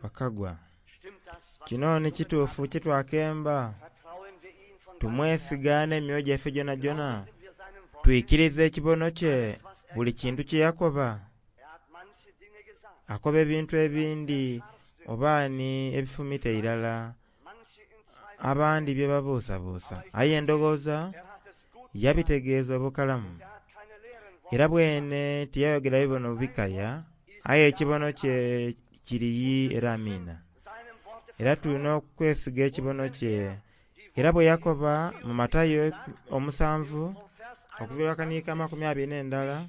Bakagwa, kino ni kituufu kye twakemba. Tumwesiga n'emyoyo gyaife gyonagyona, twikiriza ekibono kye buli kintu kye yakoba. Akoba ebintu ebindi oba ni ebifumita irala abandi bye babuusabuusa, aye ndowooza yabitegeeza obukalamu. Era bwene tiyayogera bibono bikaya, aye ekibono kye kiri era amiina. Era tulina okwesiga ekibono kye. Era bwe yakoba mu Matayo 7 okuviira akaniika 21,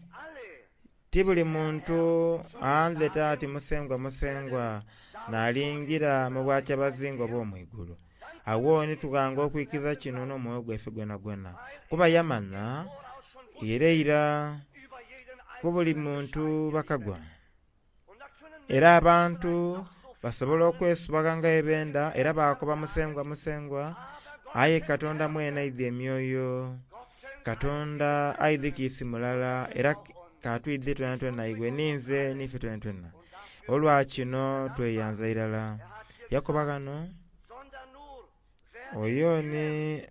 ti buli muntu andheta ati Musengwa Musengwa n'alingira mu bwakyabazinga obw'omwigulu. Awo ni tughanga okwikiriza kino n'omwoyo gwaife gwonagwona, kuba yamanha era eira ku buli muntu bakagwa. Era abantu basobola okwesubagha nga bwe benda era bakoba Musengwa Musengwa, aye Katonda mwene aidhi emyoyo. Katonda aidhi kiisi mulala era katwidhi twenatwena iwe ninze n'ife twenatwena. Olwa kino tweyanza irala. Yakoba ghano oyo ni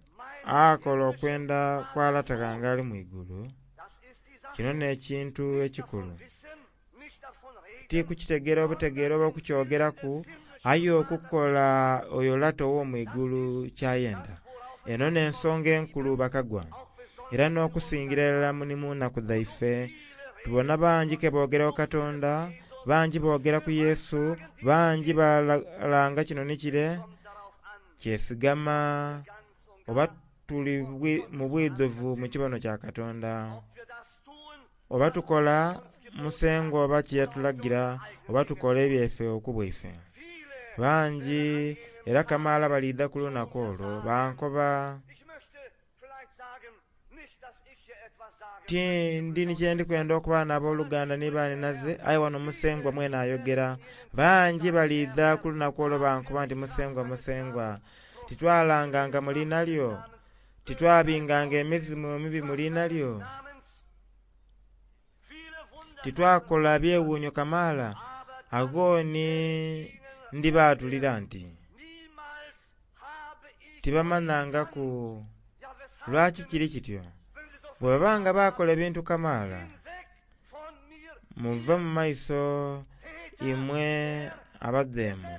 akola okwenda kwa Lata ghange ali mu igulu. Kino n'ekintu ekikulu. Ti kukitegeera obutegeera oba okukyogeraku, aye okukola oyo Lata ow'omu igulu kyayenda. Eno n'ensonga enkulu bakagwa. Era n'okusingira irala ni mu nnaku dhaife tubona bangi ke boogera ku Katonda, bangi boogera ku Yesu, bangi balanga kino ni kire, kyesigama oba tuli mu bwidhuvu mu kibono kya Katonda. Oba tukola Musengwa oba kye yatulagira, oba tukola ebyaife okubwaife. Bangi era kamaala baliidha ku lunaku olwo bankoba ti ndi ni kye ndikwenda okuba n'aboluganda ni baninaze, aye wano Musengwa mwene ayogera. Bangi baliidha ku lunaku olwo bankoba nti Musengwa Musengwa, titwalanganga mu liina lyo, titwabinganga emizimu emibi mu liina lyo, titwakola byewuunyo kamaala. Agho ni ndibaatulira nti tibamanhangaku. Lwaki kiri kityo? Bwe baba nga bakola ebintu kamaala, muve mu maiso imwe abadheemu.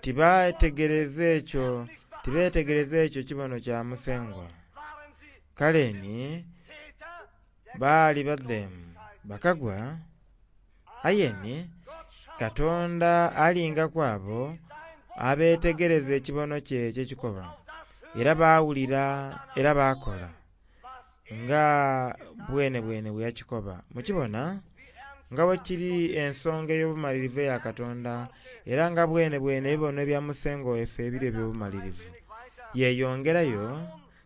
Tibategereza ekyo, tibeetegereza ekyo kibono kya Musengwa. Kale ni baali badheemu bakagwa, aye ni Katonda alinga ku abo abeetegereza ekibono kye eky'ekikoba, era baawulira era baakola nga bwene bwene bwe yakikoba. Mukibona nga bwe kiri ensonga ey'obumalirivu eya Katonda, era nga bwene bwene ebibono ebya Musengwa waife ebiri eby'obumalirivu. Yeeyongerayo,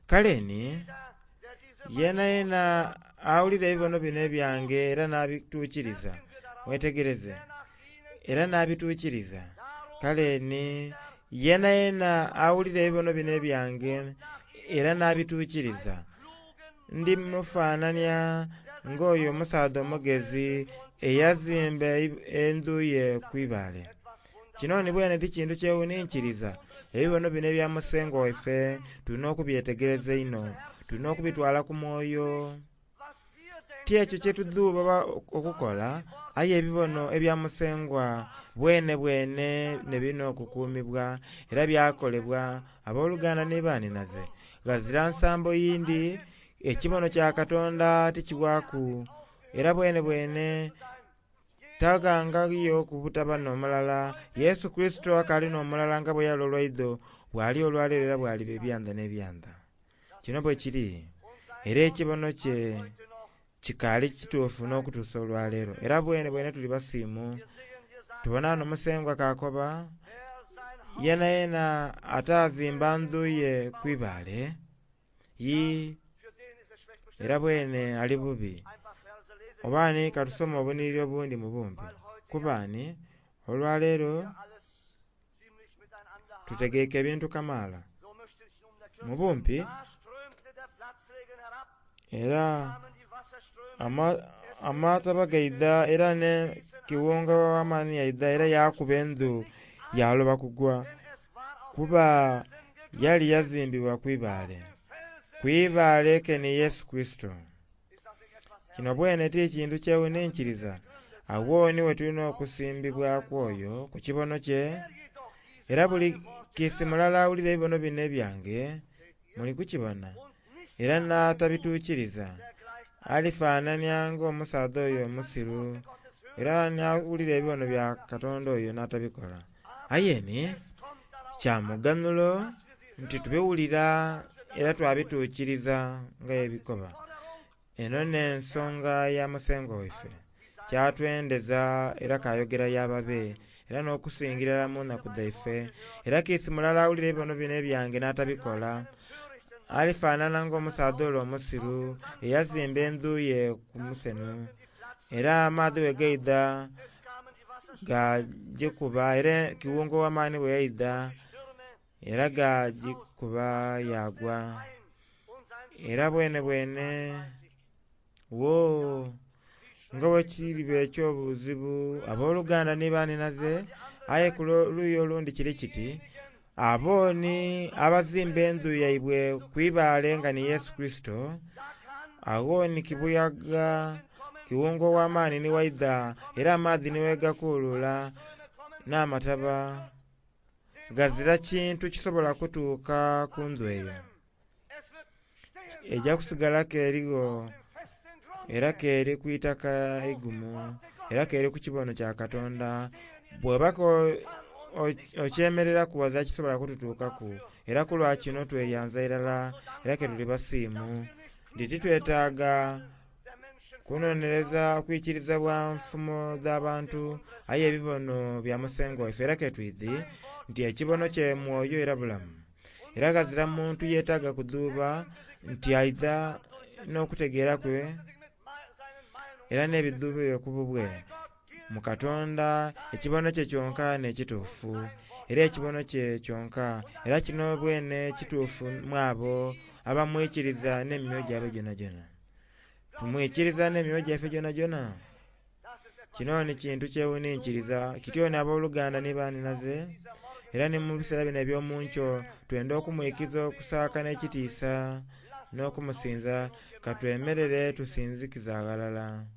kale ni yena yena awulira ebibono bino ebyange era n'abituukiriza, mwetegereze, era n'abituukiriza. Kale ni yena yena awulira ebibono bino ebyange era n'abituukiriza, ndi mufaanania ng'oyo omusaadha omugezi eyazimba endhu ye ku ibaale. Kino ni bwene ti kintu kyewuninkiriza. Ebibono bino ebya Musengwa waife tulina okubyetegereza einho, tulina okubitwala ku mwoyo. Ti ekyo kye tudhuuba okukola, aye ebibono ebya Musengwa bwene bwene ne birina okukuumibwa era byakolebwa abooluganda ni baninaze. Ghazira nsambo yindi, ekibono kya Katonda tikiwaaku, era bwene bwene taghangayo kubutaba n'omulala. Yesu Kurisito akaali n'omulala nga bwe yali olwaidho, bw'ali olwaleero era bw'aliba ebyanda n'ebyanda. Kino bwe kiri, era ekibono kye kikaali kituufu n'okutuusa olwaleero. Era bwene bwene tuli basiimu. Tubona ghano Musengwa k'akoba, yena yena ataazimba ndhu ye ku ibaale, yi era bwene ali bubi. Oba ni katusome obunhiriri obundi mu bumpi, kuba ni olwaleero tutegeike ebintu kamaala mu bumpi, era amataba gaidha era ne Kiwunga ow'amaani yaidha era yaakuba endhu yaaloba kugwa, kuba yali yazimbibwa ku ibaale. Ku ibaale ke ni Yesu Kurisito. Kino bwene ti kintu kyewuninkiriza. Agho ni we tulina okusimbibwaku oyo ku kibono kye. Era buli kiisi mulala awulira ebibono bino ebyange, muli kukibona, era n'atabituukiriza, alifaanania ng'omusaadha oyo omusiru, era n'awulira ebibono bya Katonda oyo n'atabikola. Aye ni kya muganhulo nti tubiwulira era twabituukiriza nga ebikoba. Eno n'ensonga ya Musengwa waife. Kyatwendeza era kayogera y'ababe, era n'okusingira irala mu nnaku dhaife. Era kiisi mulala awulira ebibono bino ebyange n'atabikola, alifaanana ng'omusaadha ole omusiru eyazimba endhu ye ku musenho. Era amaadhi bwe gaidha gaagikuba, era kiwunga ow'amaani bwe yaidha era gaagikuba yaagwa. Era bwenebwene wo nga bwe kiriba eky'obuzibu abooluganda ni banhinaze, aye ku luuyi olundi kiri kiti, abo ni abazimba endhu yaibwe ku ibaale nga ni Yesu Kurisito, agho ni kibuyaga kiwunga ow'amaani ni waidha era amaadhi ni wegakuuluula n'amataba, ghazira kintu kisobola kutuuka ku ndhu eyo. Eja kusigala k'erigho era k'eri ku itaka eigumu, era k'eri ku kibono kya Katonda. Bw'oba okyemereraku ghazira kisobola kututuukaku. Era ku lwa kino tweyanza irala era ke tuli basiimu. Nti titwetaaga kunonereza kwikiriza bwa nfumo dh'abantu, aye ebibono bya Musengwa waife. Era ke twidhi nti ekibono kye mwoyo era bulamu. Era ghazira muntu yeetaaga kudhuuba nti aidha n'okutegeera kwe era n'ebidhuubo bye ku bubwe. Mu Katonda ekibono kye kyonka n'ekituufu, era ekibono kye kyonka. Era kino bwene kituufu mu abo abamwikiriza n'emyoyo gyabwe gyonagyona. Tumwikiriza n'emyoyo gyaife gyonagyona? Kino ni kintu kyewuninkiriza. Kityo ni abooluganda ni banhinaze, era ni mu biseera bino eby'omunkyo twenda okumwikiza okusaaka n'ekitiisa n'okumusinza. Ka twemerere tusinzikize aghalala.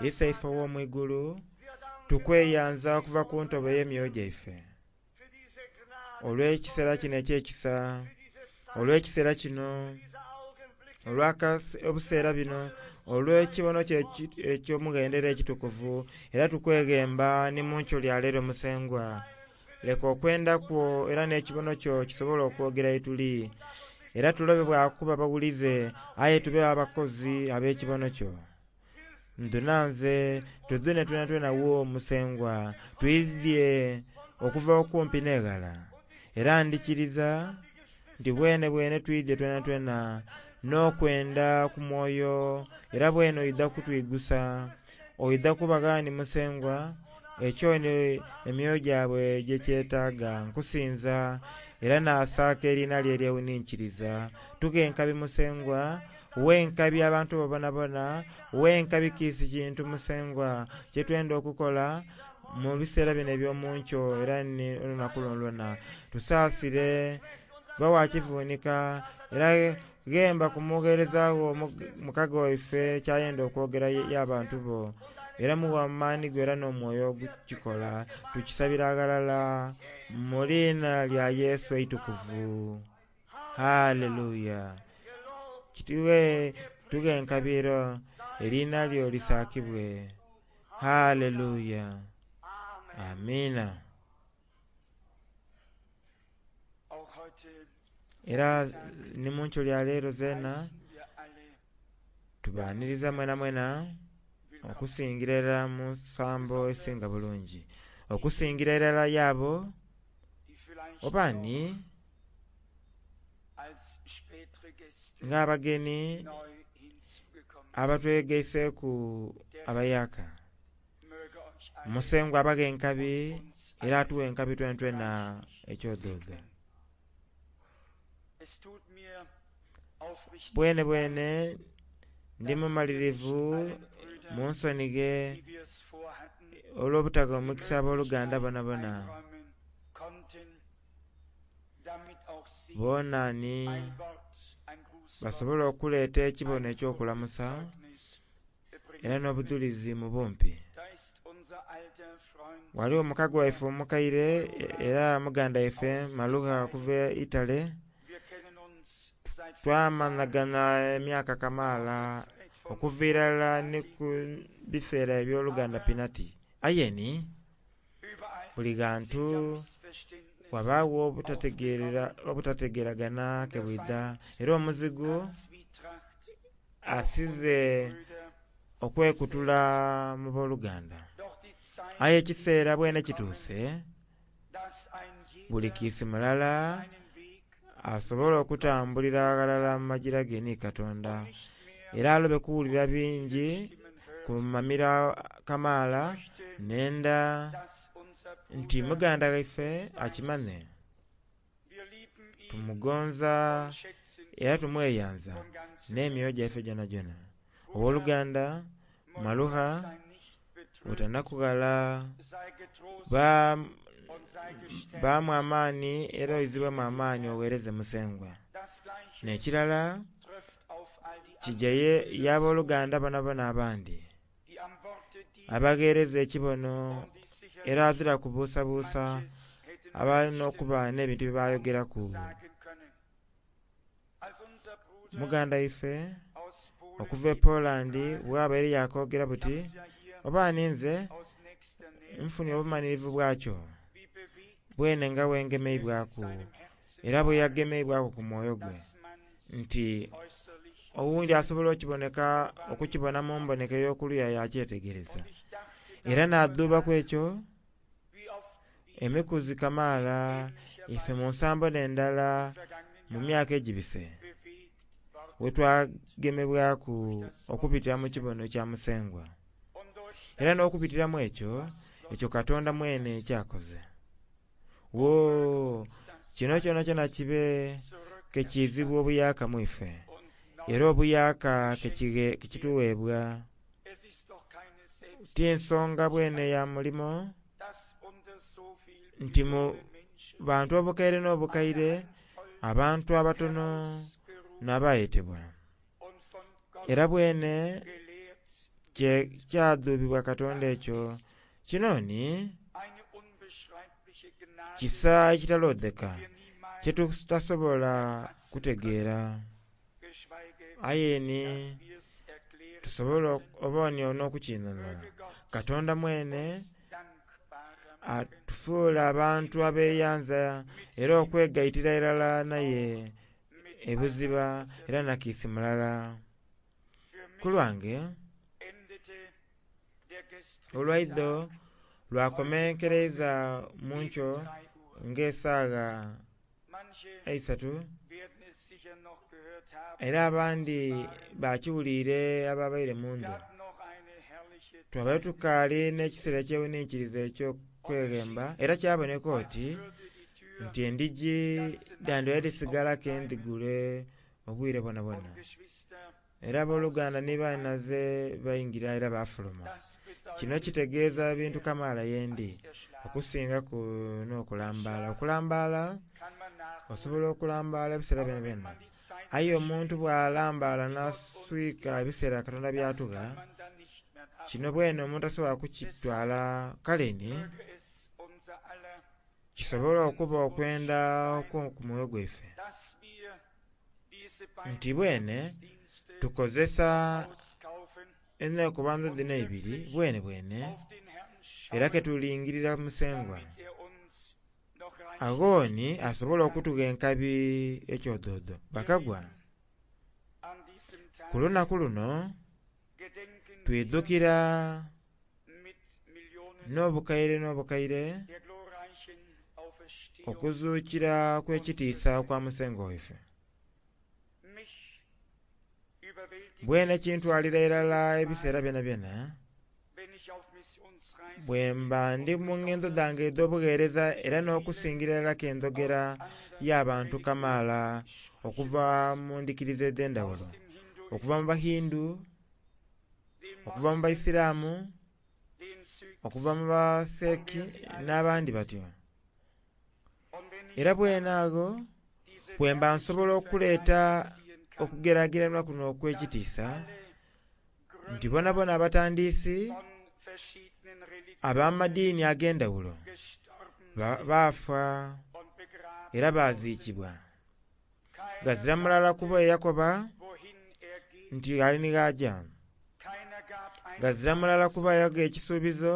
Iseife ow'omu igulu, tukweyanza okuva ku ntobo ey'emyoyo gyaife olw'ekiseera kino eky'ekisa, olw'ekiseera kino, olw'obuseera bino, olw'ekibono kye eky'omughendo era ekitukuvu. Era tukweghemba ni mu nkyo lya leero Musengwa, leka okwenda kwo era n'ekibono kyo kisobole okwogera ye tuli. Era tulobe bwa kuba bawulize, aye tube abakozi ab'ekibono kyo. Ndhuna nze tudhune twenatwena wo Musengwa, twidhye okuva okumpi n'eghala. Era ndikiriza nti bwenebwene twidhye twenatwena n'okwenda ku mwoyo, era bwene oidha kutwigusa. Oidha kubagha ni Musengwa ekyo ni emyoyo gyabwe gyekyetaaga. Nkusinza era naasaaka eriina lye eryewuninkiriza. Tughe enkabi Musengwa, gha enkabi abantu bo bonabona, gha enkabi kiisi kintu Musengwa kye twenda okukola mu biseera bino eby'omunkyo era ni olunaku lwonalwona. Tusaasire, ba wa kivuunika era ghemba ku mugheereza wo mukago waife kyayenda okwogera y'abantu bo. Era mughe amaani go era n'omwoyo ogukikola. Tukisabira aghalala mu liina lya Yesu eitukuvu. Haleluya. Kitughe tughe enkabi era eriina lyo lisaakibwe. Haleluya. Amiina. Era ni mu nkyo lya leero zeena tubaaniriza mwenamwena okusingira irala mu nsambo esinga bulungi. Okusingira irala y'abo oba ni ng'abageni abatwegaiseeku abayaaka. Musengwa abaghe enkabi era atughe enkabi twenatwena ekyodhoodho. Bwenebwene ndi mumalirivu Munsonighe olw'obutagha omukisa aboluganda bonabona. Boona nhi basobole okuleeta ekibono eky'okulamusa era nh'obudhulizi mu bumpi. Ghaligho mukago ghaife omukaire era muganda ghaife Malugha okuva e Italy, twamanhaganha emyaka kamaala okuviira ilala nhi ku biseera eby'oluganda Pinati. Aye nhi buli ghantu ghabagho obutategeragana kebwidha era omuzigu asize okwekutula mu boluganda. Aye ekiseera bwene kituuse buli kiisi mulala asobole okutambulira aghalala mu magira ge nhi Katonda era alobe kuwulira bingi ku mamiro kamaala. Nhendha nti muganda ghaife akimanhe tumugonza era tumweyanza nh'emyoyo gyaife gyonagyona. Ow'oluganda Malugha otanakughala, baamu amaani era oizibwemu amaani oghereze Musengwa. Nh'ekirala kigya y'aboluganda bonabona abandhi abaghereza ekibono era aghazira kubuusabuusa abali n'okuba nh'ebintu byebayogeraku. Muganda ghaife okuva e Poland bwabaire yakogera buti oba ninze nfunye obumanhirivu bwakyo bwene nga bwengemeibwaku era bweyagemeibwaku ku mwoyo gwe nti oghundhi asobola okiboneka okukibona mu mboneka ey'okuluya yakyetegereza. Era nadhuubaku ekyo emikuzi kamaala ife mu nsambo nh'endala mu myaka egibise bwetwagemebwaku okubitira mu kibono kya Musengwa. Era n'okubitira mu ekyo, ekyo Katonda mwene kyakoze. Woo! Kino kyonakyona kibe kekiizibwa obuyaaka mu ife, era obuyaaka kekitugheebwa. Ti nsonga bwene ya mulimo nti mu bantu obukaire n'obukaire abantu abatono n'abayetebwa. Era bwene kyadhubibwa Katonda ekyo. Kino ni kisa ekitaloodheka kyetutasobola kutegeera. Aye ni tusobola oba n'okukinhonhola. Katonda mwene atufuula abantu abeyanza era okwegaitira irala naye ebuziba era nakiisi mulala. Ku lwange olwaidho lwakomenkereiza mu nkyo ng'esaagha eisatu era abandhi bakiwuliire ababaire mu ndhu. Twabaire tukaali n'ekiseera ekyewuninkiriza eky'okweghemba era kyaboneka oti nti endhigi dhandhibaire dhisigalaku endhigule obwire bwonabwona. Era aboluganda ni banhinaze baingira era bafuluma. Kino kitegeeza ebintu kamaala yendi okusingaku n'okulambaala. Okulambaala osobola okulambaala ebiseera byonabyona aye omuntu bw'alambaala n'aswika ebiseera Katonda byatugha, kino bwene omuntu tasobola kukitwala. Kale ni kisobole okuba okwenda okw'oku mwoyo gwaife nti bwene tukozesa enhekobandho dhino eibiri bwene bwene era ketulingirira Musengwa. Agho ni asobole okutugha enkabi ekyodhodho. Bakagwa, ku lunaku luno twidhukira n'obukaire n'obukaire okuzuukira okw'ekitiisa okwa Musengwa waife. Bwene kintwalira irala ebiseera byonabyona bwemba ndi mu ngendo dhange edh'obugheereza era n'okusingira irala kendhogera y'abantu kamaala okuva mu ndhikiriza edh'endhaghulo, okuva mu Bahindu, okuva mu Baisiramu, okuva mu Baseeki n'abandi batyo. Era bwene agho bwemba nsobola okuleeta okugerageranya kuno okw'ekitiisa nti bonabona abatandisi ab'amadiini ag'endhaghulo baafa era baziikibwa. Ghazira mulala ku bo eyakoba nti ali ni gh'agya. Ghazira mulala ku bo eyagha ekisuubizo,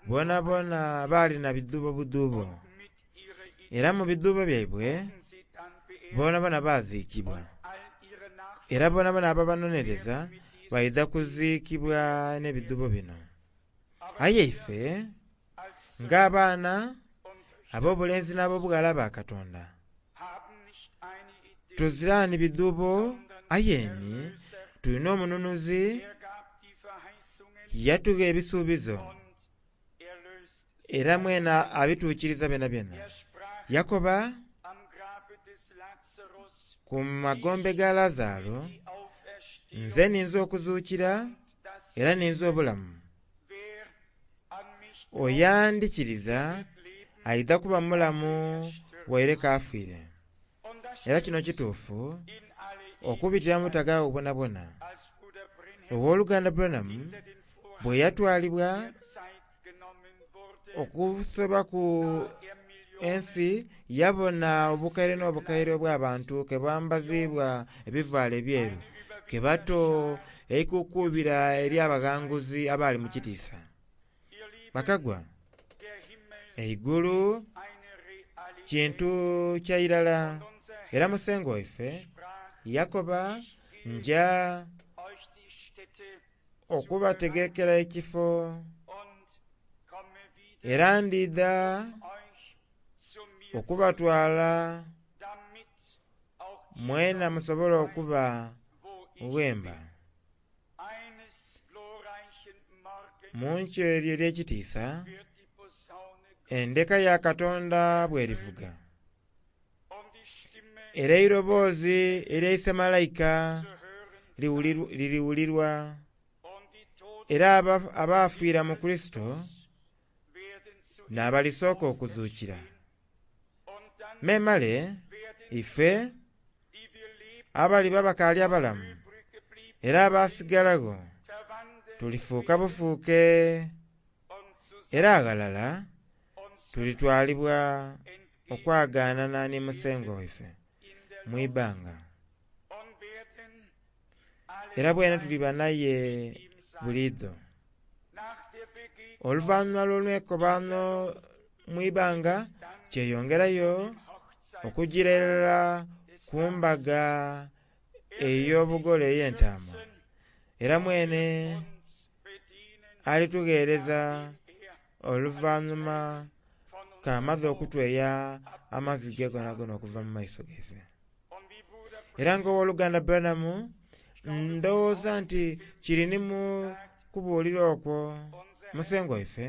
bonabona baali na bidhuubo budhuubo. Era mu bidhuubo byaibwe bonabona baziikibwa. Era bonabona ababanonereza baidha kuziikibwa n'ebidhuubo bino. Aye ife ng'abaana ab'obulenzi n'ab'obughala ba Katonda, tuzira ni bidhuubo aye ni tulina omununuzi yatugha ebisuubizo era mwene abituukiriza byonabyona. Yakoba ku magombe ga Lazaro, nze ninze okuzuukira era ninze obulamu. Oyo andhikiriza aidha kuba mulamu waire k'afiire. Era kino kituufu okubitira mu butaghaagho bwonabwona. Ow'oluganda Branham bwe yatwalibwa okusobaku ensi, yabona obukaire n'obukaire obw'abantu ke bambaziibwa ebivaalo ebyeru, ke bato eikukubira ery'abaghanguzi abaali mu kitiisa. Bakagwa, eigulu kintu kya irala era Musengwa waife yakoba nja okubategekera ekifo era ndidha okubatwala mwena musobole okuba ghemba. Mu nkyo eryo ery'ekitiisa, endeka ya Katonda bw'erivuga, era eiroboozi erya Malaika liriwulirwa, era abaafiira mu Kurisito n'abalisooka okuzuukira. Memale ife abaliba bakaali abalamu era abasigalagho tulifuuka bufuuke era aghalala tulitwalibwa okwagaanana ni Musengwa waife mu ibbanga. Era bwene tuliba naye buliidho. Oluvannyuma lw'olwekobaano mu ibbanga kyeyongerayo okugira irala ku mbaga ey'obugole ey'entaama. Era mwene alitugheereza oluvannyuma k'amaze okutweya amaziga gonagona okuva mu maiso gaife. Era nga ow'oluganda Branham ndowooza nti kiri ni mu kubuulira okwo Musengwa waife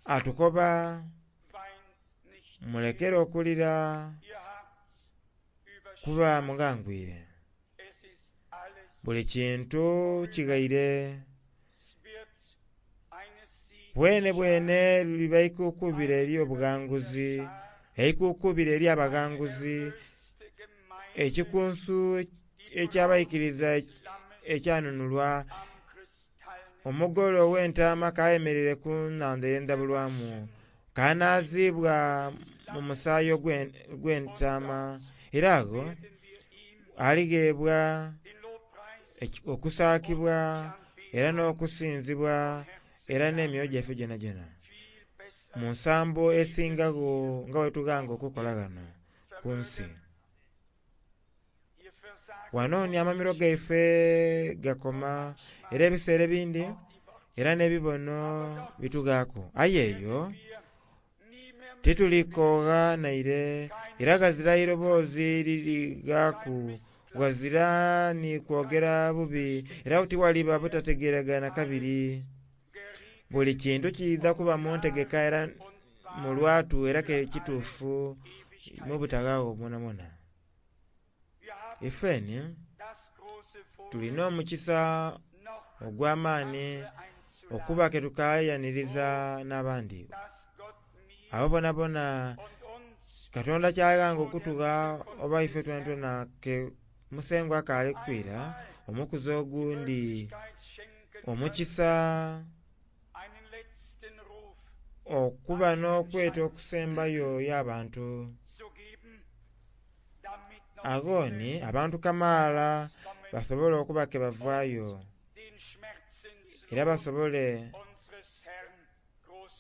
atukoba mulekere okulira kuba mughangwire. Buli kintu kighaire. Bwene bwene luliba ikuukubira ery'obughanguzi, eikuukubira ery'abaghanguzi, ekikunsu eky'abaikiriza ekyanunulwa, omugole ow'entaama k'ayemereire ku nnhandha ey'endhabulwamu, k'anaaziibwa mu musaayi ogw'entaama, era agho aligheebwa okusaakibwa era n'okusinzibwa era n'emyoyo gyaife gyonagyona mu nsambo esingagho nga bwe tughanga okukola ghano ku nsi. Wano ni amamiro gaife gakoma era ebiseera ebindi era n'ebibono bitughaaku, aye eyo titulikogha naire era ghazira iroboozi lirighaaku, ghazira ni kwogera bubi era tighaliba butategeragana kabiri. Buli kintu kiidha kuba mu ntegeka era mu lwatu era ke kituufu mu butaghaagho bwonabwona. Ifeni tulina omukisa ogw'amaani okuba ke tukayaniriza n'abandi. Abo bonabona Katonda kyaghanga okutugha oba ife twenatwena ke Musengwa akaali kwira omukuzi ogundhi omukisa okuba n'okweta okusembayo y'abantu. Agho ni abantu kamaala basobole okuba ke bavaayo era basobole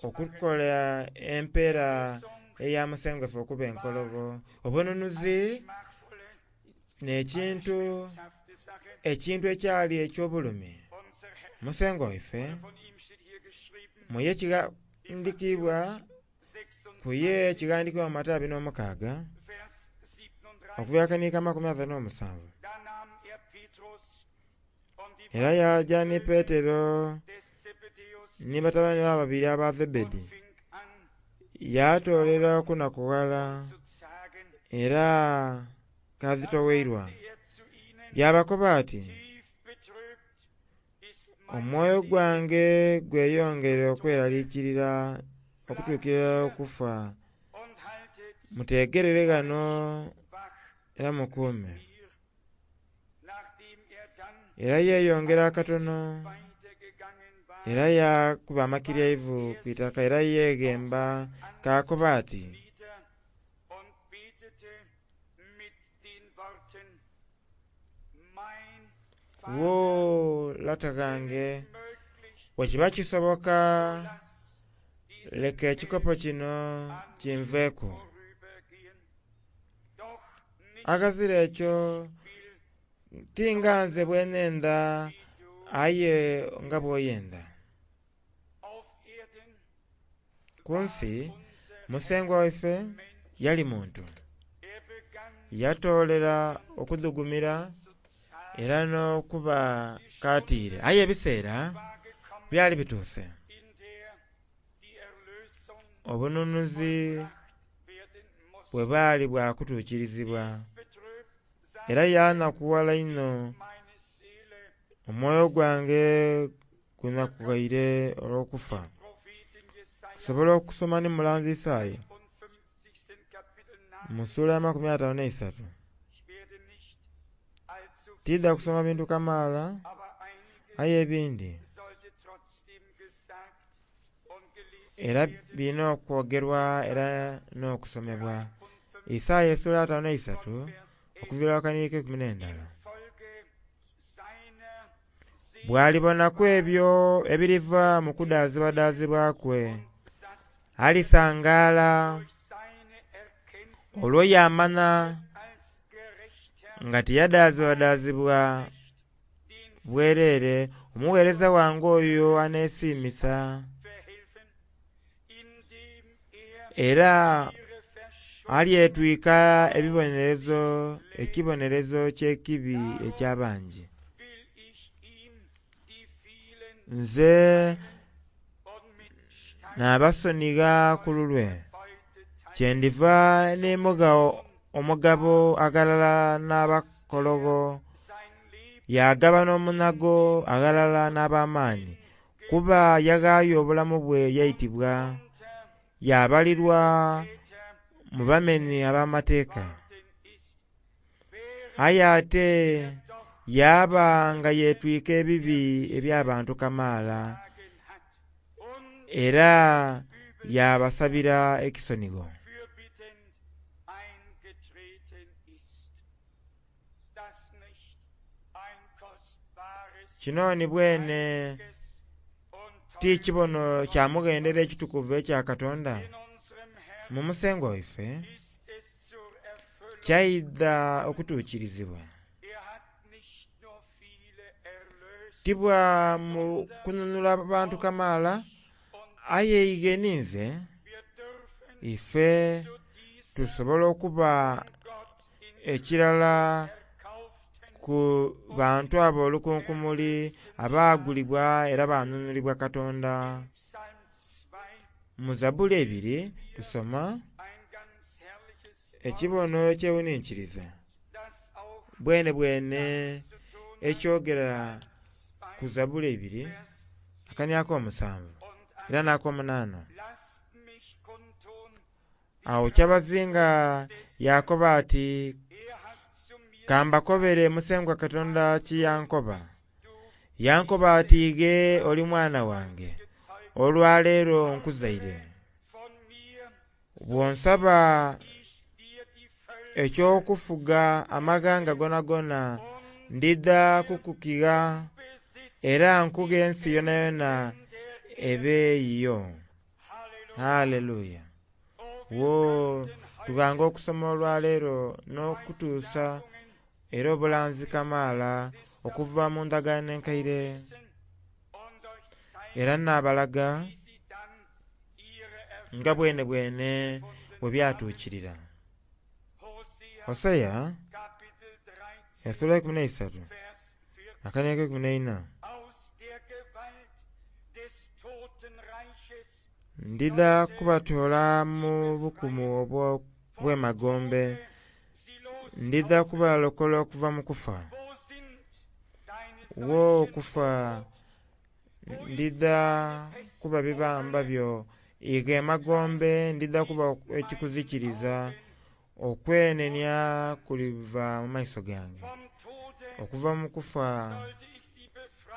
okukola empeera eya Musengwa waife okuba enkologho. Obununuzi n'ekintu ekintu ekyali eky'obulumi. Musengwa waife muye kighandhikibwa kuye kighandhikibwa mu Matayo 26 okuva akaniika 37. Era yaja ni Petero ni batabane be ababiri aba Zebedi, yatoolera okunakughala era kazitoweirwa. Yabakoba ati, omwoyo gwange gweyongere okweralikirira okutuukira okufa, mutegerere ghano era mukuume. Era yeyongera akatono era yakuba amakiryaivu ku itaka era yeghemba kakoba ati, wo lata ghange, bwekiba kisoboka leka ekikopo kino kinveeku. Aghazira ekyo ti nga nze bwe nhendha aye nga bw'oyenda. Ku nsi Musengwa waife yali muntu, yatoolera okudhugumira era n'okuba katiire, aye ebiseera byali bituuse obununuzi bwe bwali bwa kutuukirizibwa. Era yanakughala inho, omwoyo gwange gunakughaire olw'okufa. Tusobola okusoma ni mulanzi Isaia mu sula ya 53. Tiidha kusoma bintu kamaala aye ebindi era birina okwogerwa era n'okusomebwa. Isaia esula 53 okuviira akaniiko 11. Bw'alibonaku ebyo ebiriva mu kudaazibwadaazibwa kwe, alisangaala olwo yaamanha nga tiyadaazibwadaazibwa bwerere, omugheereza wange oyo aneesiimisa era alyetwika ebibonerezo, ekibonerezo ky'ekibi eky'abangi. Nze nabasonigha ku lulwe, kyendiva nimugha omugabo aghalala n'abakologho, yaagabana omunhago aghalala n'ab'amaani, kuba yaghaayo obulamu bwe yaitibwa, yaabalirwa mu bamenhi ab'amateeka. Aye ate yaaba nga yeetwika ebibi eby'abantu kamaala era yaabasabira ekisonigho. Kino ni bwene ti kibono kya mughendero ekitukuvu ekya Katonda? Mu Musengwa waife kyaidha okutuukirizibwa. Ti bwa mu kununula bantu kamaala, aye ighe ninze ife tusobola okuba ekirala ku bantu abo olukunkumuli abaagulibwa era banunulibwa Katonda. Mu Zabbuli eibiri tusoma ekibono ekyewuninkiriza bwenebwene ekyogera ku ku Zabbuli eibiri akania ak'omusanvu era n'akomunaana. Agho kyabazinga yaakoba ati, ka mbakobere Musengwa Katonda kye yankoba. Yankoba ati ighe oli mwana wange, olwaleero nkuzaire. Bw'onsaba eky'okufuga amaghanga gonagona ndidha kukukigha era nkughe ensi yonayona ebe yiyo. Haleluya! Wo tughanga okusoma olwaleero n'okutuusa era obulanzi kamaala okuva mu ndagaano enkaire era nabalaga nga bwenebwene bwe byatuukirira. Hoseya esula eikumi n'eisatu akania akeikumi n'eina. Ndidha kubatoola mu bukumu obw'emagombe, ndidha kubalokola okuva mu kufa. Wo okufa ndidha kuba bibamba byo, ighe emagombe ndidha kuba ekikuzikiriza, okwenenia kuliva mu maiso gange. Okuva mu kufa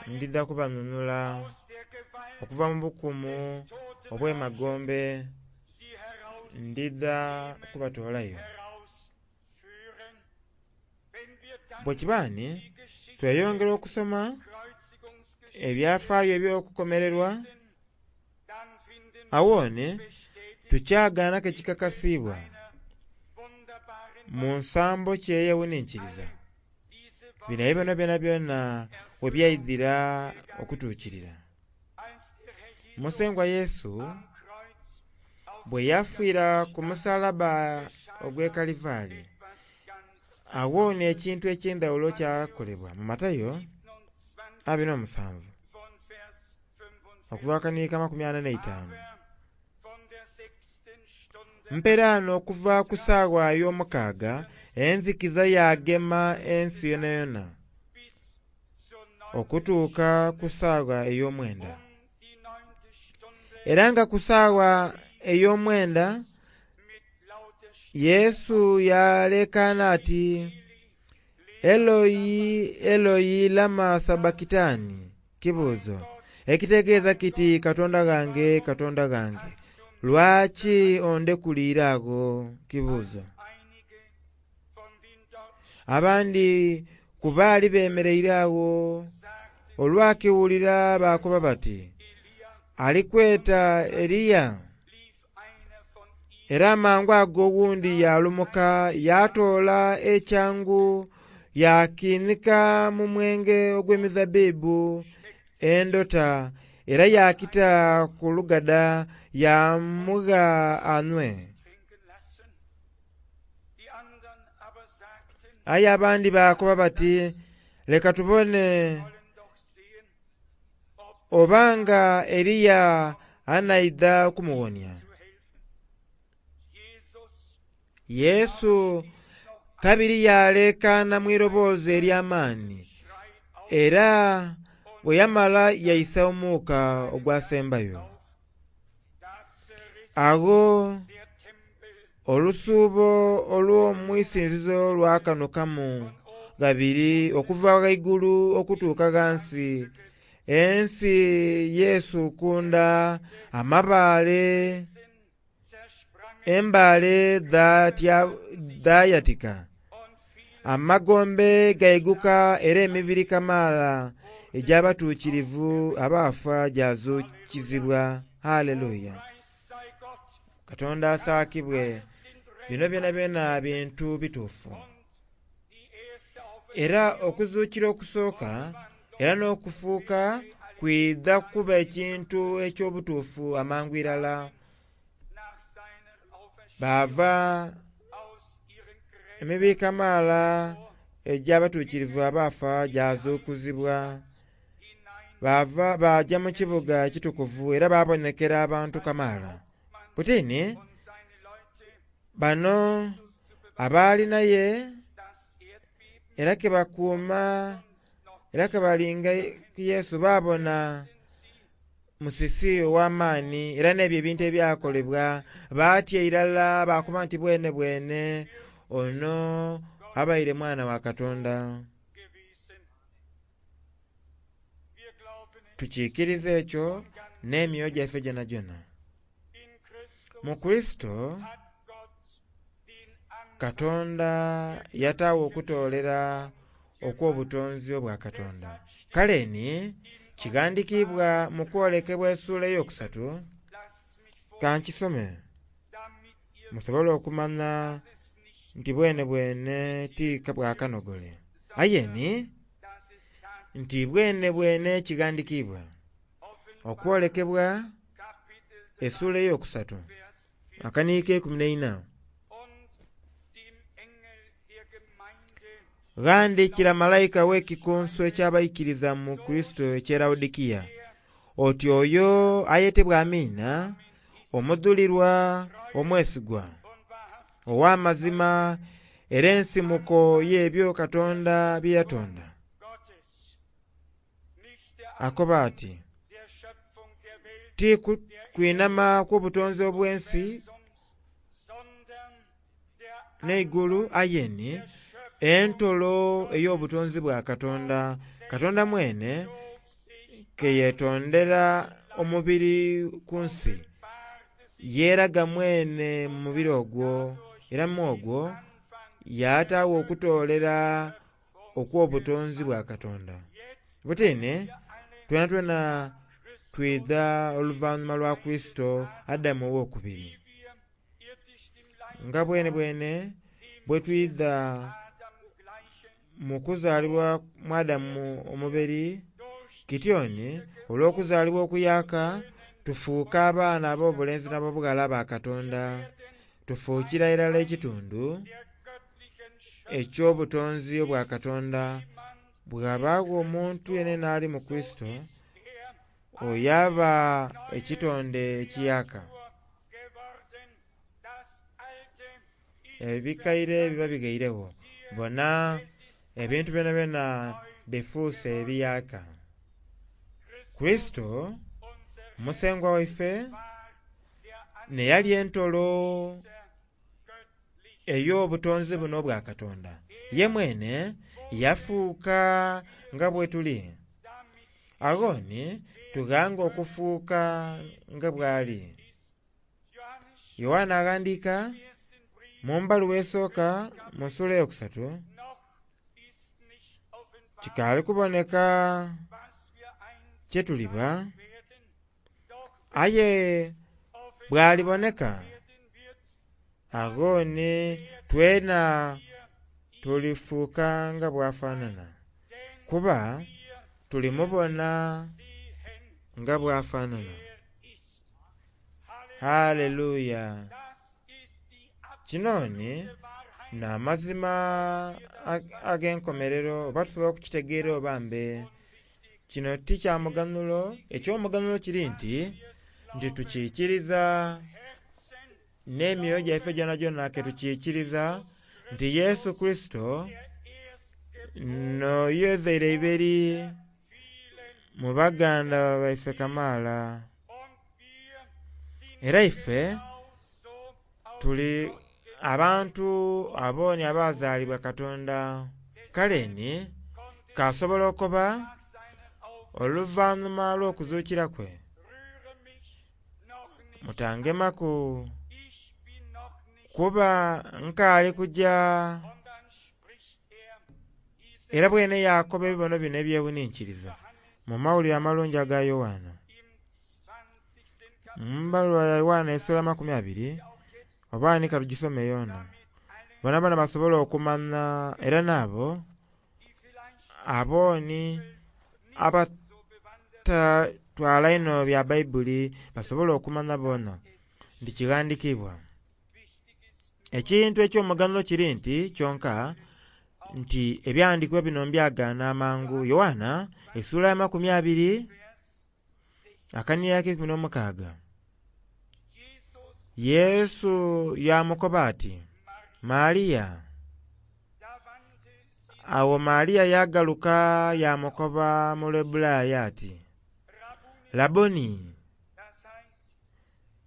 ndidha kubanunula, okuva mu bukumu obw'emagombe ndidha kubatoolayo. Bwe kiba ni tweyongera okusoma ebyafaayo eby'okukomererwa, awo ni tukyagaanaku ekikakasiibwa mu nsambo ki eyeghuninkiriza bino ebibono byonabyona we byaidhira okutuukirira. Musengwa Yesu bwe yafiira ku musalaba ogw'e Kalivaali, agho n'ekintu eky'endhaghulo kyakolebwa mu Matayo 27 okuva akaniika 45. Mperaano okuva ku saawa ey'omukaaga enzikiza yagema ensi yonayona okutuuka ku saawa ey'omwenda. Era nga ku saawa ey'omwenda Yesu yaleekaana ati, Eloi, Eloi lama sabakitani? Kibuuzo ekitegeeza kiti Katonda ghange, Katonda ghange, lwaki ondekuliire agho? Kibuuzo. Abandi ku baali bemereire agho olwakiwulira baakoba bati, ali kweta Eliya. Era amangu ago owundi yaalumuka yaatoola ekyangu yakiinhika mu mwenge ogw'emizabbibu endota era yaakita ku lugada yaamugha anhwe. Aye abandi baakoba bati, leka tubone oba nga Eliya anaidha okumuwonia. Yesu kabiri yaleekaana mu iroboozi ery'amaani era bwe yamala yaisa omuuka ogwasembayo. Agho olusuubo olw'omwisinzizo lwakanukamu ghabiri okuva ghaigulu okutuuka ghansi. Ensi yeesukunda amabaale, embaale dhayatika, amagombe gaiguka era emibiri kamaala egy'abatuukirivu abaafa gyazuukizibwa. Haleluya! Katonda asaakibwe. Bino byonabyona bintu bituufu. Era okuzuukira okusooka era n'okufuuka kwidha kuba ekintu eky'obutuufu amangu irala. Baava emibiri kamaala egy'abatuukirivu abaafa gyazuukizibwa. Baava baaja mu kibuga ekitukuvu era baabonekera abantu kamaala. Buti ni bano abaali naye era ke bakuuma Era ke balinga ku Yesu baabona musisi ow'amaani era n'ebyo ebintu ebyakolebwa, baatya irala baakoba nti bwene bwene ono abaire mwana wa Katonda. Tukiikiriza ekyo n'emyoyo gyaife gyonagyona. Mu Kurisito Katonda yataagho okutoolera okw'obutonzi obwa Katonda. Kale ni kighandikiibwa mu kwolekebwa essuula eyokusatu, ka nkisome musobole okumanya nti bwene bwene ti bwa kanogole, aye ni nti bwene bwene kighandikiibwa. Okwolekebwa essuula eyokusatu akaniiko keikumi n'eina. Ghandhikira malayika ow'ekikunsu eky'abaikiriza mu Kurisito eky'e Lawodikiya oti oyo ayetebwa Amiina, omudhulirwa omwesigwa, ow'amazima era ensimuko y'ebyo Katonda bye yatonda, akoba ati, ti kwinhama kw'obutonzi obw'ensi n'eigulu aye ni entolo ey'obutonzi bwa Katonda. Katonda mwene ke yetondera omubiri ku nsi, yeeraga mwene mu mubiri ogwo era mu ogwo yataagho okutoolera okw'obutonzi bwa Katonda. Butini twenatwena twidha oluvanhuma lwa Kurisito Adamu ow'okubiri. Nga bwene bwene bwe twidha mu kuzaalibwa mu Adamu omuberi, kityoni olw'okuzaalibwa okuyaaka tufuuka abaana ab'obulenzi n'ab'obughala aba Katonda. Tufuukira irala ekitundu eky'obutonzi obwa Katonda. Bw'abaagho omuntu yenayena ali mu Kurisito, oyo aba ekitonde ekiyaaka. Ebikaire biba bighairegho, bona ebintu byonabyona bifuuse ebiyaaka. Kurisito Musengwa waife n'eyali entolo ey'obutonzi buno obwa Katonda. Ye mwene yafuuka nga bwe tuli. Agho ni tughanga okufuuka nga bw'ali. Yoanna aghandiika mu mbaluwa esooka mu ssuula eyokusatu, kikaali kuboneka kye tuliba, aye bw'aliboneka agho ni twena tulifuuka nga bw'afaanana, kuba tulimubona nga bw'afaanana. Haleluya! Kino ni n'amazima ag'enkomerero oba tusobola okukitegeera oba mbe. Kino ti kya muganhulo, eky'omuganhulo kiri nti tukiikiriza n'emyoyo gyaife gyonagyona ke tukiikiriza nti Yesu Kurisito n'oyo ezaire eiberi mu baganda baife kamaala. Era ife tuli abantu abooni abazaalibwa Katonda. Kale ni kasobola okuba oluvanhuma olw'okuzuukira kwe, mutangemaku kuba nkaali kugya. Era bwene yaakoba ebibono bino ebyewuninkiriza mu Mawulire Amalungi aga Yoanna. Mu mbaluwa ya Yoanna essuula 20, oba ni katugisome yoona, boonaboona basobole okumanha era n'abo abooni abatatwala inho bya Baibuli basobole okumanya boona nti kighandikiibwa. Ekintu eky'omuganhulo kiri nti kyonka nti ebyawandiikibwa bino mbyagaana amangu. Yoanna essuula ya 20 akanhiriro ak'eikumi n'omukaaga. Yesu yaamukoba ati, Maria. Agho Maria yagaluka yaamukoba mu Lwebbulaya ati, "Labboni,"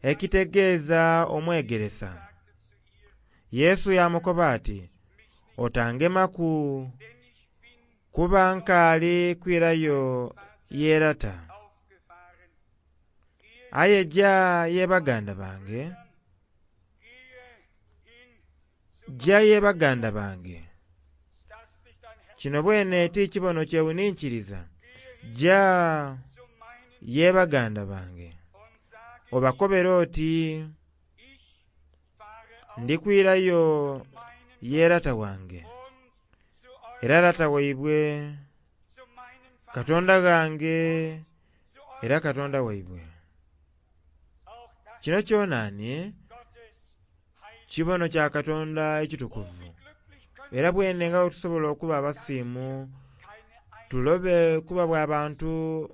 ekitegeeza omwegeresa. Yesu yaamukoba ati, "Otangemaku, kuba nkaali kwirayo ye Lata. Aye ja ye baganda bange, ja ye baganda bange." Kino bwene ti kibono kyewuninkiriza, ja ye baganda bange obakobere oti ndi kwirayo ye Lata wange era Lata waibwe, Katonda ghange era Katonda waibwe. Kino kyonani kibono kya Katonda ekitukuvu era bwene nga bwe tusobola okuba abasiimu tulobe kuba bwa bantu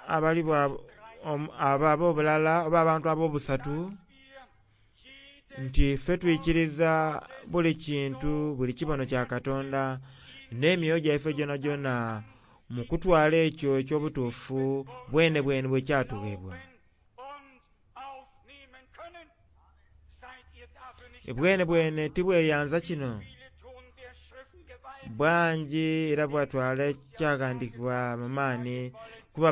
abali abo ab'obulala oba abantu ab'obusatu nti ffe twikiriza buli kintu buli kibono kya Katonda n'emyoyo gyaife gyonagyona mu kutwala ekyo eky'obutuufu bwene bwene bwe kyatuweebwa. Bwene bwene tibweyanza kino bwangi era bwatwala ekyaghandiikibwa mu maani kuba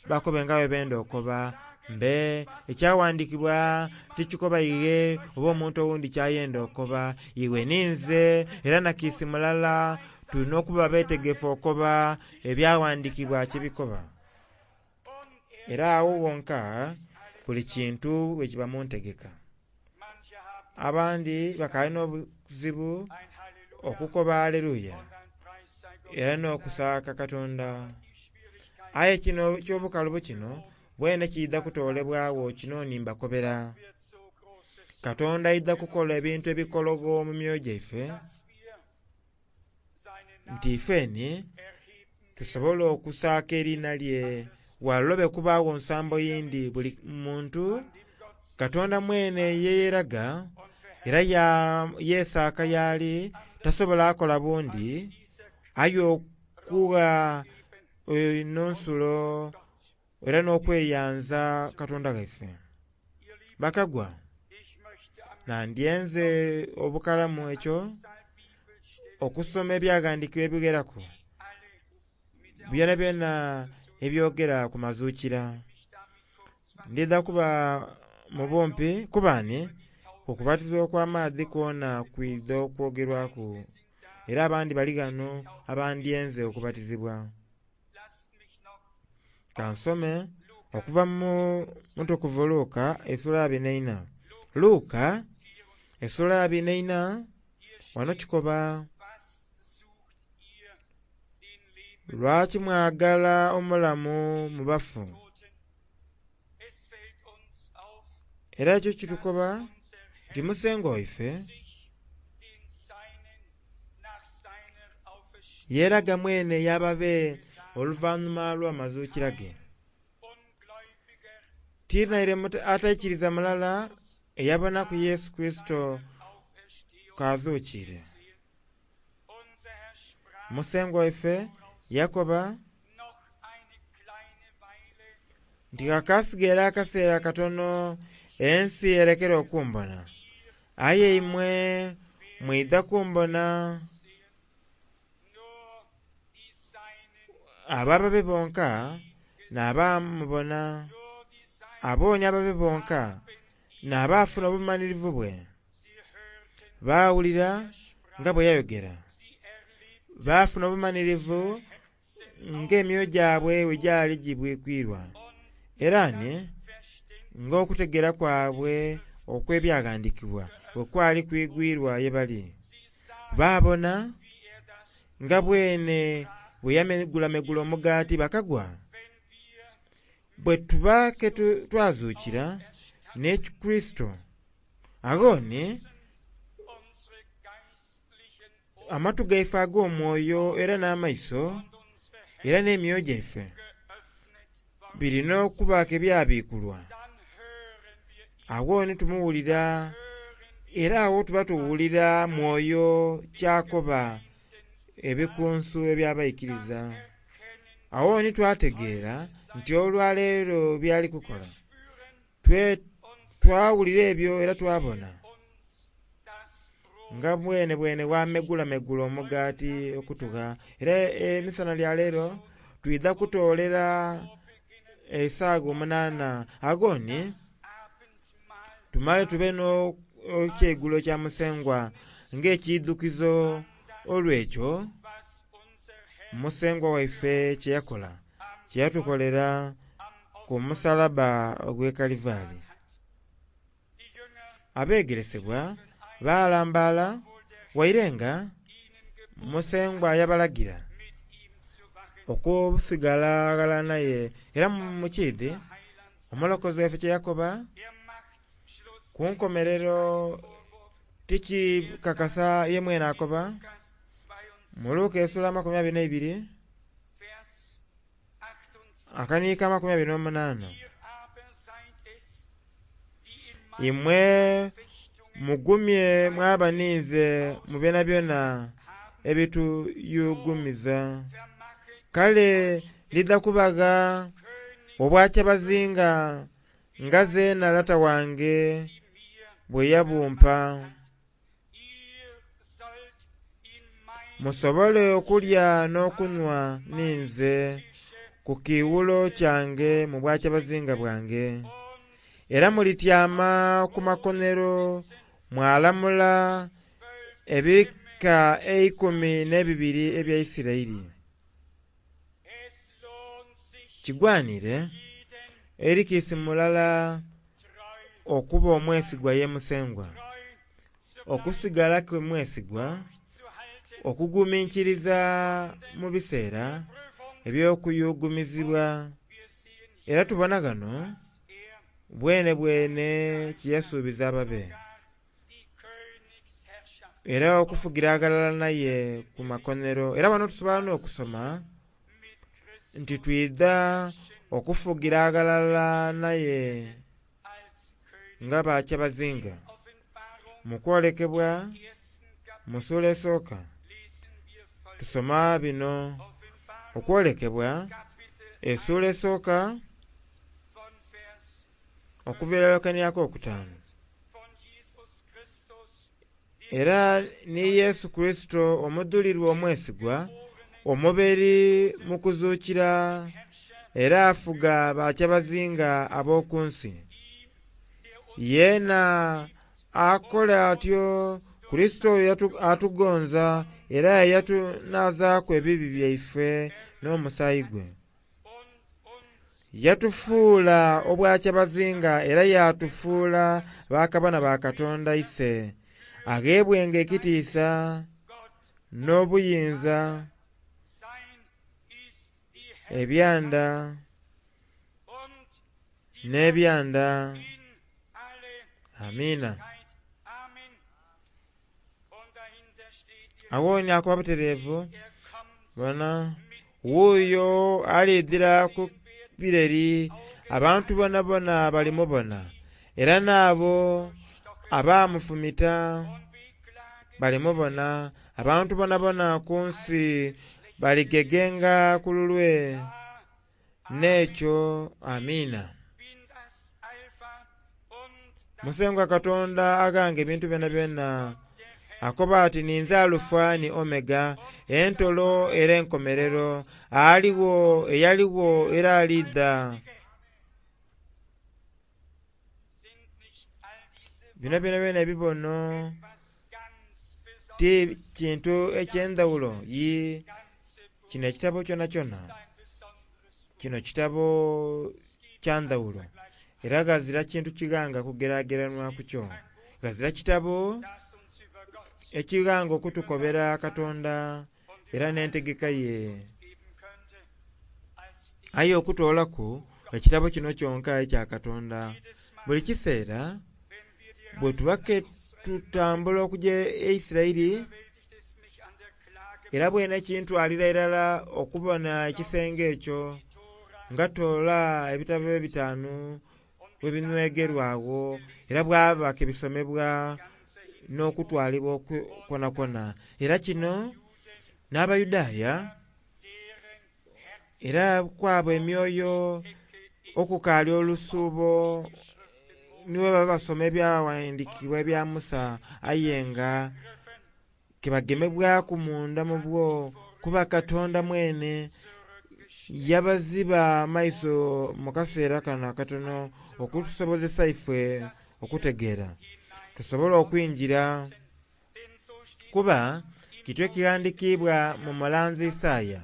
bakobe nga bwe benda okoba mbe ekyaghandiikibwa tikikoba ighe oba omuntu owundi kyayenda okoba iwe ninze era nakiisi mulala tulina okuba beetegefu okoba ebyaghandiikibwa kye bikoba. Era awo wonka buli kintu bwe kiba mu ntegeka. Abandi bakaalina obuzibu okukoba aleluya era n'okusaaka Katonda. Aye kino eky'obukalubo kino bwene kiidha kutoolebwagho kino ni mbakobera. Katonda aidha kukola ebintu ebikologho mu myoyo gyaife nti ifeni tusobole okusaaka eriina lye walobe kubaagho nsambo yindi buli muntu Katonda mwene yeeyeraga era yeesaaka y'ali tasobola akola bundi aye okugha eno nsulo era n'okweyanza Katonda waife. Bakagwa nandyenze obukalamu ekyo okusoma ebyaghandiikibwa ebigheraku byonabyona ebyogera ku mazuukira. Ndidha kuba mu bumpi kubaani okubatizibwa okw'amaadhi kwona kwidha okwogerwaku era abandi bali ghano abandyenze okubatizibwa. Kansome okuva mu mutukuvu Luka esula 24. Luka esula 24 wano kikoba, lwaki mwagala omulamu mu bafu? Era ekyo kitukoba nti Musengwa waife yeeraga mwene y'ababe oluvannyuma lw'amazuukira ge. Ti naire ataikiriza mulala eyabonaku Yesu Kurisito k'azuukiire. Musengwa waife yakoba nti ghakaasigaire akaseera katono ensi erekere okumbona, aye imwe mwidha kumbona. Abo ababe bonka n'abamubona, abooni ababe bonka n'abaafuna obumanhirivu bwe. Baawulira nga bwe yayogera, baafuna obumanhirivu ng'emyoyo gyabwe bwe gyali gibwikwirwa era ni ng'okutegeera kwabwe okw'ebyaghandiikibwa bwe kwali kwigwirwa ye bali. Baabona nga bwene bwe yamegulamegula omugaati bakagwa. Bwe tuba ke twazuukira ni Kurisito, agho ni amatu gaife ag'omwoyo era n'amaiso era n'emyoyo gyaife birina okuba ke byabiikulwa. Agho ni tumuwulira era agho tuba tuwulira mwoyo ky'akoba. ebikunsu eby'abaikiriza. Agho ni twategeera nti olwaleero by'ali kukola. Twawulira ebyo era twabona nga bwenebwene bw'amegulamegula omugaati okutugha. Era emisana lya leero twidha kutoolera esaagha 8 agho ni tumale tube n'ekyeigulo kya Musengwa ng'ekiidhukizo olw'ekyo Musengwa waife kye yakola, kye yatukolera ku musalabba ogw'e Kalivaali. Abeegeresebwa baalambaala waire nga Musengwa yabalagira okusigala ghalala naye. Era mu kiidhi omulokozi waife kye yakoba ku nkomerero tikikakasa ye mwene akoba mu Luka esula 22 akaniika 28, imwe mugumye mwaba ninze mu byonabyona ebituyuugumiza. Kale ndidha kubagha obwakyabazinga nga zeena Lata wange bwe yabumpa, musobole okulya n'okunhwa ninze ku kiiwulo kyange mu bwakyabazinga bwange. Era mulityama ku makonero mwalamula ebika eikumi n'ebibiri ebya Isiraeli. Kigwanire eri kiisi mulala okuba omwesigwa ye Musengwa, okusigalaku mwesigwa, okuguminkiriza mu biseera eby'okuyugumizibwa. Era tubona ghano bwenebwene kye yasuubiza ababe, era okufugira aghalala naye ku makonero. Era ghano tusobola n'okusoma nti twidha okufugira aghalala naye nga bakyabazinga. Mu kwolekebwa mu sula esooka tusoma bino. Okwolekebwa esula esooka okuviira irala akokutaanu. Era ni Yesu Kurisito omudhulirwa omwesigwa, omuberi mu kuzuukira, era afuga bakyabazinga ab'oku nsi. Yeena akola atyo Kurisito oyo atugonza era yatunaazaaku ebibi byaife n'omusaayi gwe. Yatufuula obwakyabazinga era yatufuula bakabona ba Katonda ise, agheebwenga ekitiisa n'obuyinza ebyanda n'ebyanda. Amiina. Agho ni akoba butereevu bona wuuyo alidhira ku bireri, abantu bonabona balimubona, era n'abo abamufumita balimubona. Abantu bonabona ku nsi baligegenga ku lulwe. N'ekyo amiina. Musengwa Katonda aghanga ebintu byonabyona akoba ati ninze Alufa ni Omega, entolo era enkomerero, aligho, eyaligho era aliidha. Bino byonabyona ebibono ti kintu eky'endhaghulo. Yii, kino ekitabo kyonakyona kino kitabo kya ndhaghulo era ghazira kintu kighanga kugerageranwa ku kyo. Ghazira kitabo ekighanga okutukobera Katonda era n'entegeka ye. Aye okutoolaku ekitabo kino kyonka ekya Katonda. Buli kiseera bwe tuba ke tutambula okugya e Isiraeli, era bwene kintwalira irala okubona ekisenge ekyo nga toola ebitabo ebitaanu bwe binhwegerwa agho, era bwaba ke bisomebwa n'okutwalibwa kwonakwona. Era kino N'Abayudaaya era kwabo emyoyo okukaali olusuubo ni bwebaba basoma ebyaghandhikibwa ebya Musa aye nga kibagemebwaku munda mu bwo kuba Katonda mwene yabaziba amaiso mu kaseera kano akatono okutusobozesa ifwe okutegeera tusobole okwingira kuba kityo ekighandhikiibwa mu mulanzi Isaaya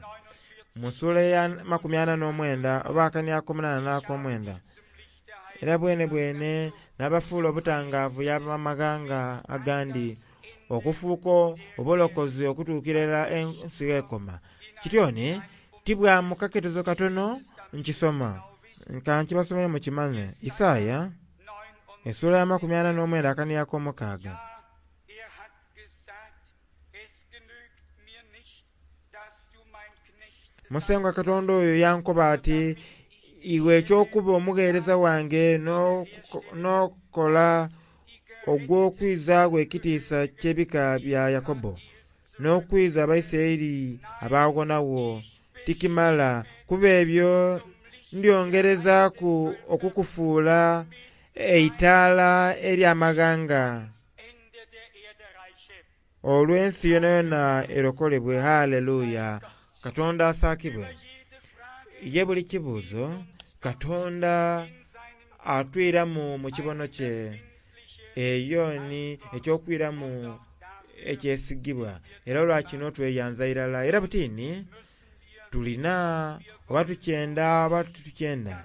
mu ssuula eya 49 oba akania ak'omunaana n'akomwenda. Era bwene bwene n'abafuula obutangaavu y'abamaghanga agandi okufuuka obulokozi okutuukira irala ensi gh'ekoma. Kityo ni tibwa mu kaketezo katono nkisoma nka nkibasomere mukimanye. Isaaya essuula ya 49 akania ak'omukaaga. Musengwa Katonda oyo yankoba ati, iwe eky'okuba omugheereza wange n'okola ogw'okwizaagho ekitiisa ky'ebika bya Yakobo, n'okwiza Abaisiraeli abaawonagho, tikimala, kuba ebyo ndyongerezaaku okukufuula eitaala eri amaghanga, olwo ensi yonayona erokolebwe. Haleluya! Katonda asaakibwe. Ye buli kibuuzo Katonda atwiramu mu kibono kye. Eyo ni eky'okwiramu ekyesigibwa era olwa kino tweyanza irala. Era butini tulina oba tukyenda oba titukyenda,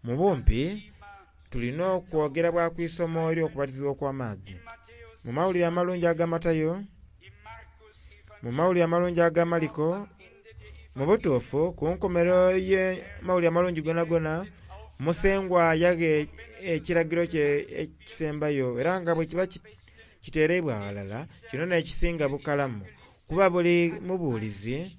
mu bumpi tulina okwogera bwa ku isomo ery'okubatizibwa okw'amaadhi. Mu mawulire amalungi aga Matayo, mu mawulire amalungi aga Maliko, mu butuufu ku nkomerero y'amawulire amalungi gonagona, Musengwa yagha ekiragiro kye ekisembayo era nga bwe kiba kitereibwa ghalala, kino n'ekisinga bukalamu kuba buli mubuulizi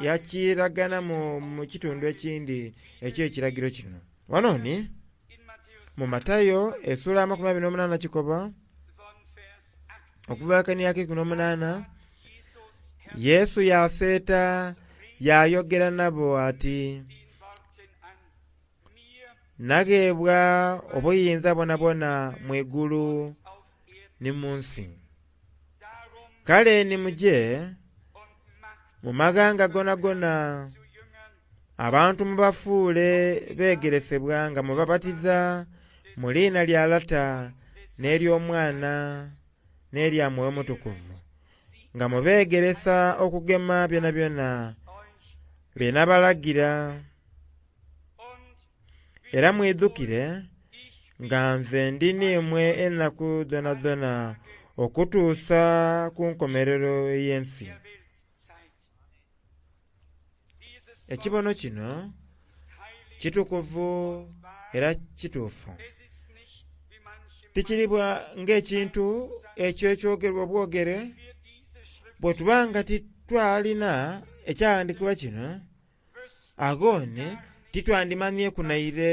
yakiraganamu mu kitundu ekindi eky'ekiragiro kino. Wano ni mu Matayo essuula ya 28 kikoba okuva akania ak'eikumi n'omunaana, Yesu yaseeta yaayogera nabo ati, nagheebwa obuyinza bwonabwona mu igulu ni mu nsi. Kale ni muje mu maghanga gonagona abantu mubafuule beegeresebwa nga mubabatiza mu liina lya Lata n'ery'Omwana n'erya Mwoyo Mutukuvu, nga mubeegeresa okugema byonabyona bye nabalagira. Era mwidhukire nga nze ndi n'imwe enaku dhoonadhoona okutuusa ku nkomerero ey'ensi. Ekibono kino kitukuvu era kituufu. Tikiribwa ng'ekintu ekyo ekyogerwa obwogere bwe tuba nga titwalina ekyawandiikibwa kino, agho ni titwandimanhieku naire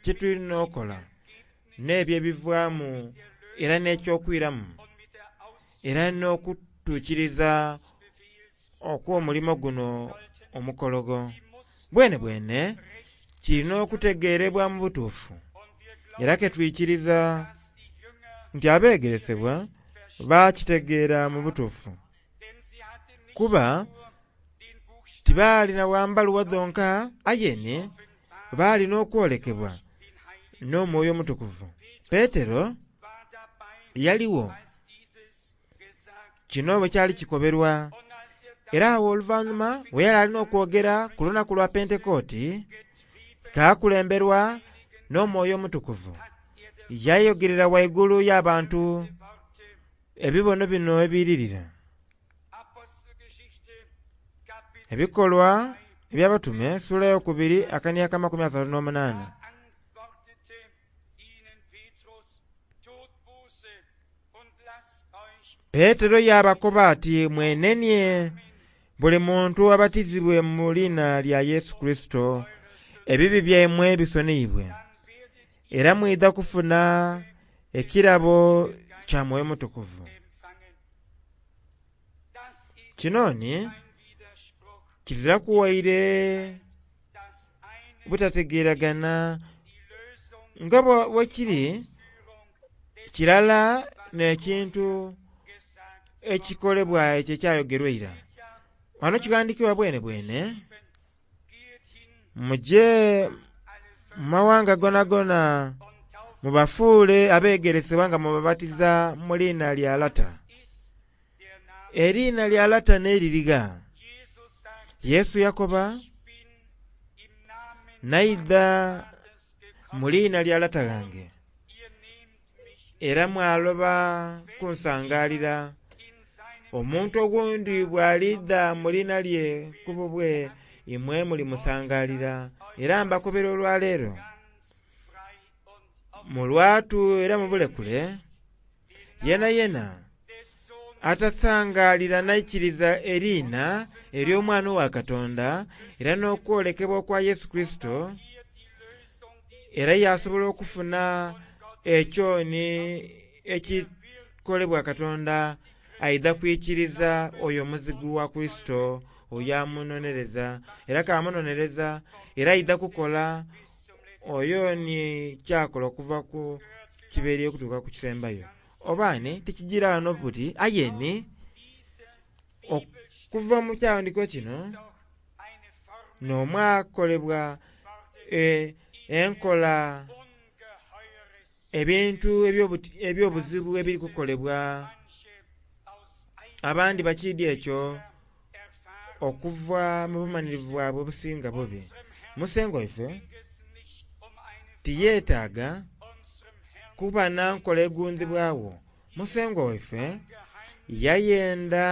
kye tulina okola n'ebyo ebivaamu era n'ekyokwiramu era n'okutuukiriza okw'omulimo guno omukologo. Bwene bwene kirina okutegeerebwa mu butuufu era ke twikiriza nti abeegeresebwa baakitegeera mu butuufu kuba tibaalina bwa mbaluwa dhonka aye ni baalina okwolekebwa n'Omwoyo Omutukuvu. Petero yaligho kino bwe kyali kikoberwa era awo oluvannyuma bwe yali alina okwogera ku lunaku lwa Pentekooti, kaakulemberwa n'Omwoyo Omutukuvu. Yayogerera waigulu y'abantu ebibono bino ebiiririra. Ebikolwa eby'Abatume sula eyokubiri akania aka 38. Petero yaabakoba ati, mwenenie buli muntu abatizibwe mu liina lya Yesu Kurisito, ebibi byaimwe bisoniyibwe, era mwidha kufuna ekirabo kya Mwoyo Mutukuvu. Kino ni kiziraku waire butategeragana nga bwekiri kirala n'ekintu ekikolebwa ekyo ekyayogerwa eira. Ghano kighandhikibwa bwenebwene, muje mu mawanga gonagona mubafuule abegeresebwa nga mubabatiza mu liina lya Lata. Eriina lya Lata n'elirigha? Yesu yakoba, naidha mu liina lya Lata ghange era mwaloba kunsangalira. Omuntu oghundhi bw'alidha mu liina lye ku bubwe imwe mulimusangalira. Era mbakobera olwaleero mu lwatu era mu bulekule, yenayena atasangalira naikiriza eriina ery'Omwana owa Katonda era n'okwolekebwa okwa Yesu Kurisito, era yasobola okufuna ekyo ni ekikolebwa Katonda, aidha kwikiriza oyo omuzigu wa Kurisito oyo amunonereza, era k'amunonereza era aidha kukola oyo ni kyakola okuva ku kibeeri okutuuka ku kisembayo. Oba ni tikijiira ghano buti aye ni okuva mu kyaghandiikibwa kino n'omwakolebwa enkola ebintu eby'obuzibu ebiri kukolebwa abandi bakiidhi ekyo okuva mu bumanhirivu bwabwe obusinga bubi. Musengwa waife tiyetaaga kuba na nkola egundhibwagho. Musengwa waife yayenda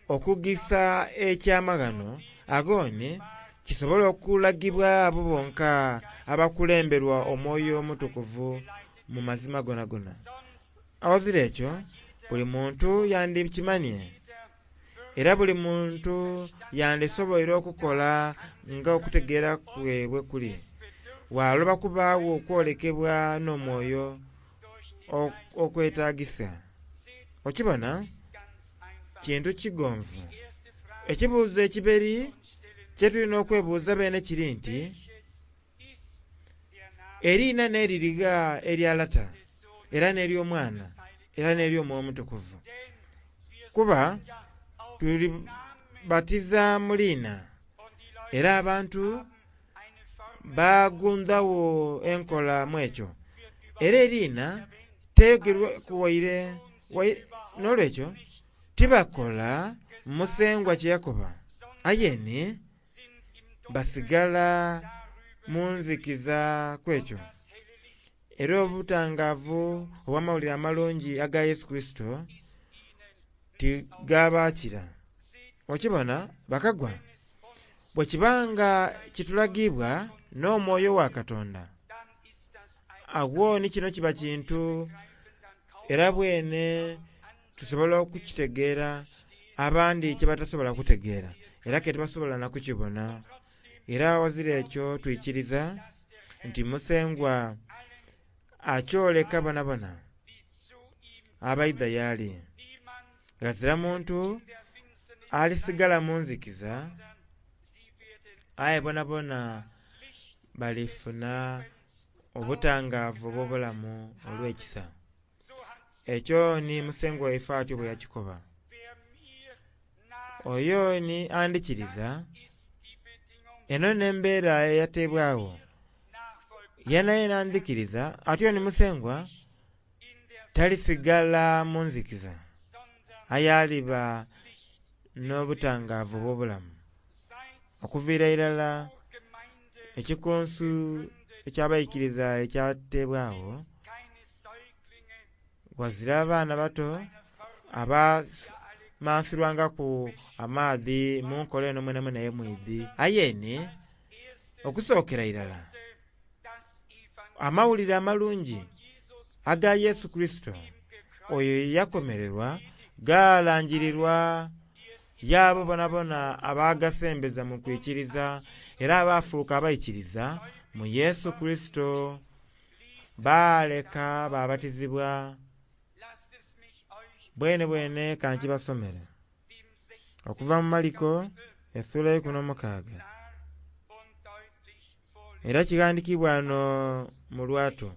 okugisa ekyamaghano aghoni kisobole okulagibwa abo bonka abakulemberwa Omwoyo Omutukuvu mu mazima gonagona. Aghazira ekyo buli muntu yandikimanie era buli muntu yandisoboire okukola nga okutegeera kwe bwe kuli. Ghaloba kubaagho okwolekebwa n'omwoyo okwetagisa. Okibona kintu kigonvu. Ekibuuzo ekiberi kyetulina okwebuuza beene kiri nti, eriina n'eririgha erya Lata era n'ery'Omwana era n'ery'Omwoyo Omutukuvu? Kuba tulibatiza mu liina era abantu bagundhagho enkola mu ekyo. Era eriina teyogerwaku waire n'olwekyo tibakola Musengwa kye yakoba, aye ni basigala mu nzikiza ku ekyo. Era obutangaavu obw'amawulire amalungi aga Yesu Kurisito tigabaakira. Okibona bakagwa bwe kiba nga kitulagibwa n'omwoyo wa Katonda, agho ni kino kiba kintu era bwene tusobola okukitegeera abandi kye batasobola kutegeera era ke tibasobola na kukibona. Era aghazira ekyo twikiriza nti Musengwa akyoleka bonabona abaidha y'ali. Ghazira muntu alisigala mu nzikiza, aye bonabona balifuna obutangaavu obw'obulamu olw'ekisa. Ekyo ni Musengwa waife atyo bwe yakikoba. Oyo ni andhikiriza, eno n'embeera eyateebwagho. Yenayena andhikiriza atyo ni Musengwa talisigala mu nzikiza, aye aliba n'obutangaavu obw'obulamu. Okuviira irala ekikunsu eky'abaikiriza ekyateebwagho, ghazira abaana bato abamansirwangaku amaadhi mu nkola eno mwenamwena ye mwidhi. Aye ni okusookera irala amawulire amalungi aga Yesu Kurisito oyo eyakomererwa gaalangirirwa y'abo bonabona abagasembeza mu kwikiriza era abaafuuka abaikiriza mu Yesu Kurisito baaleka baabatizibwa. Bwenebwene ka nkibasomere. Okuva mu Maliko esula eyeikumi n'omukaaga era kighandhikibwa ghano mu lwatu.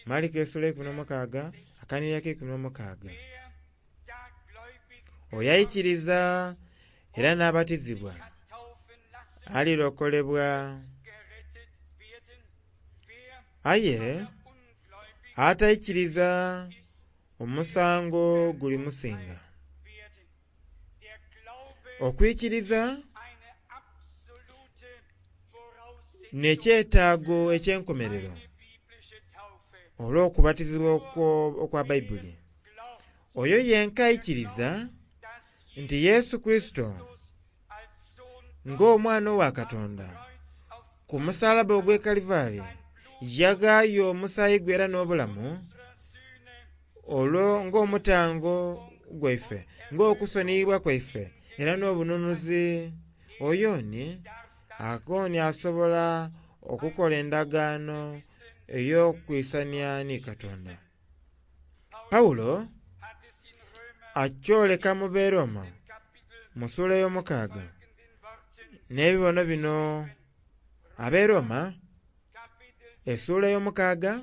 Maliko esula eyeikumi n'omukaaga akanhiriri akeikumi n'omukaaga. Oyo aikiriza era nh'abatizibwa alilokolebwa aye ataikiriza omusango gulimusinga. Okwikiriza nh'ekyetaago eky'enkomerero olw'okubatizibwa okwa Baibuli. Oyo yenka aikiriza nti Yesu Kurisito ng'Omwana owa Katonda ku musalaba ogw'e Kalivari yaghaayo omusaayi gwe era n'obulamu olwo ng'omutango gwaife, ng'okusoniyibwa kwaife era n'obununuzi, oyo ni akooni asobola okukola endagaano ey'okwisania ni Katonda. Pawulo akyoleka mu Beroma mu sula ey'omukaaga n'ebibono bino. Aberoma esula ey'omukaaga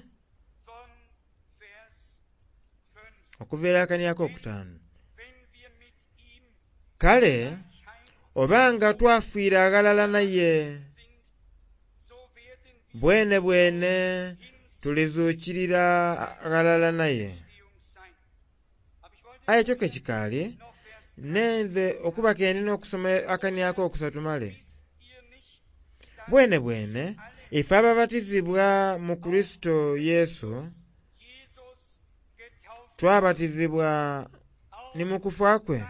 okuviira akania ak'okutaanu. Kale oba nga twafiira aghalala naye, bwenebwene tulizuukirira ghalala naye. Aye ekyo kekikaali, nenze okuba ke ndina okusoma akania akokusatu male. Bwenebwene ife ababatizibwa mu Kurisito Yesu twabatizibwa ni mu kufa kwe.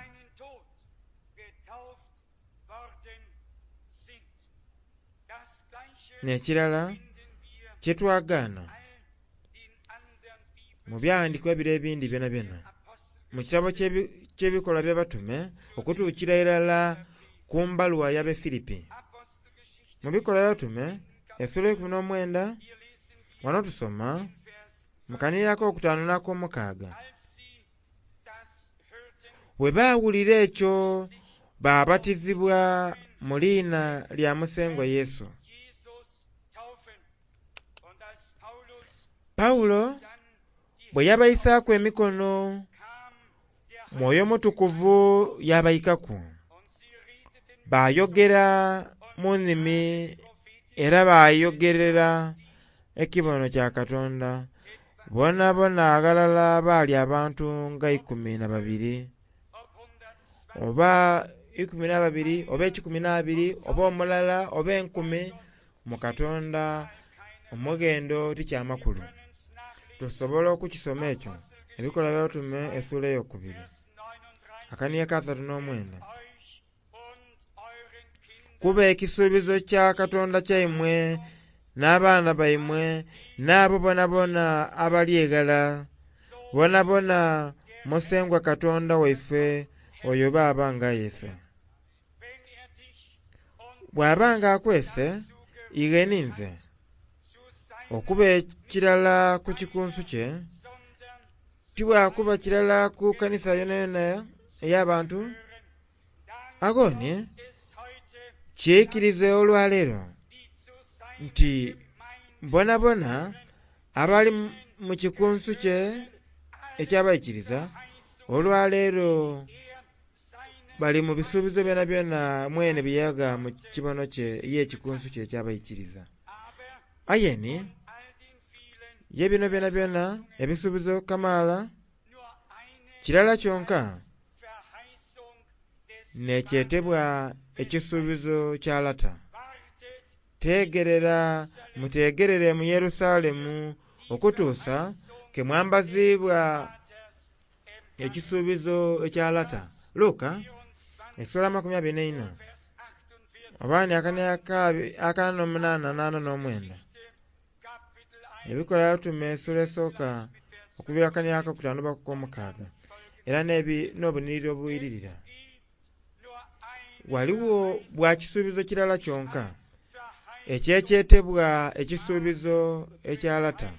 N'ekirala kyetwagaana mu byaghandhikibwa bire ebindhi byonabyona mu kitabo ky'Ebikolwa by'Abatume okutuukira irala ku mbaluwa y'Abefilipi. Mu Bikolwa by'Abatume esula eikumi n'omwenda ghano tusoma mu kanhiriri ak'okutaanu n'akomukaaga. Bwe baawulira ekyo baabatizibwa mu liina lya Musengwa Yesu. Pawulo bwe yabaisaaku emikono, Mwoyo Mutukuvu yabaikaku, baayogera mu nnimi era baayogerera ekibono kya Katonda. Bonabona aghalala baali abantu nga 12 oba 12 oba 12 oba omulala oba enkumi mu Katonda omughendo ti kyamakulu. Tusobola okukisoma ekyo Ebikolwa by'Abatume esula eyokubiri akania ka 39. Kuba ekisuubizo kya Katonda kyaimwe n'abaana baimwe n'abo bonabona abali eghala, bonabona Musengwa Katonda waife oyo b'aba nga ayese. Bw'aba nga akwese ighe ninze okuba ekirala ku kikunsu kye, ti bwakuba kirala ku kanisa yonayona ey'abantu, agho ni kikirize olwaleero nti bonabona abali mu kikunsu kye eky'abaikiriza olwaleero bali mu bisuubizo byonabyona mwene bye yagha mu kibono kye y'ekikunsu kye eky'abaikiriza. Aye ni ye bino byonabyona ebisuubizo kamaala kirala kyonka n'ekyetebwa ekisuubizo kya Lata. Teegerera muteegerere mu Yerusalemu okutuusa ke mwambaziibwa ekisuubizo ekya Lata. Luka esula 24 oba ni akania akana n'omunaana n'ana n'omwenda. Ebikolwa By'Abatume esula esooka okuviira akania akokutaanu paka ku komukaaga era n'obunhiriri obwiririra. Ghaligho bwa kisuubizo kirala kyonka ekyekyetebwa ekisuubizo ekya Lata.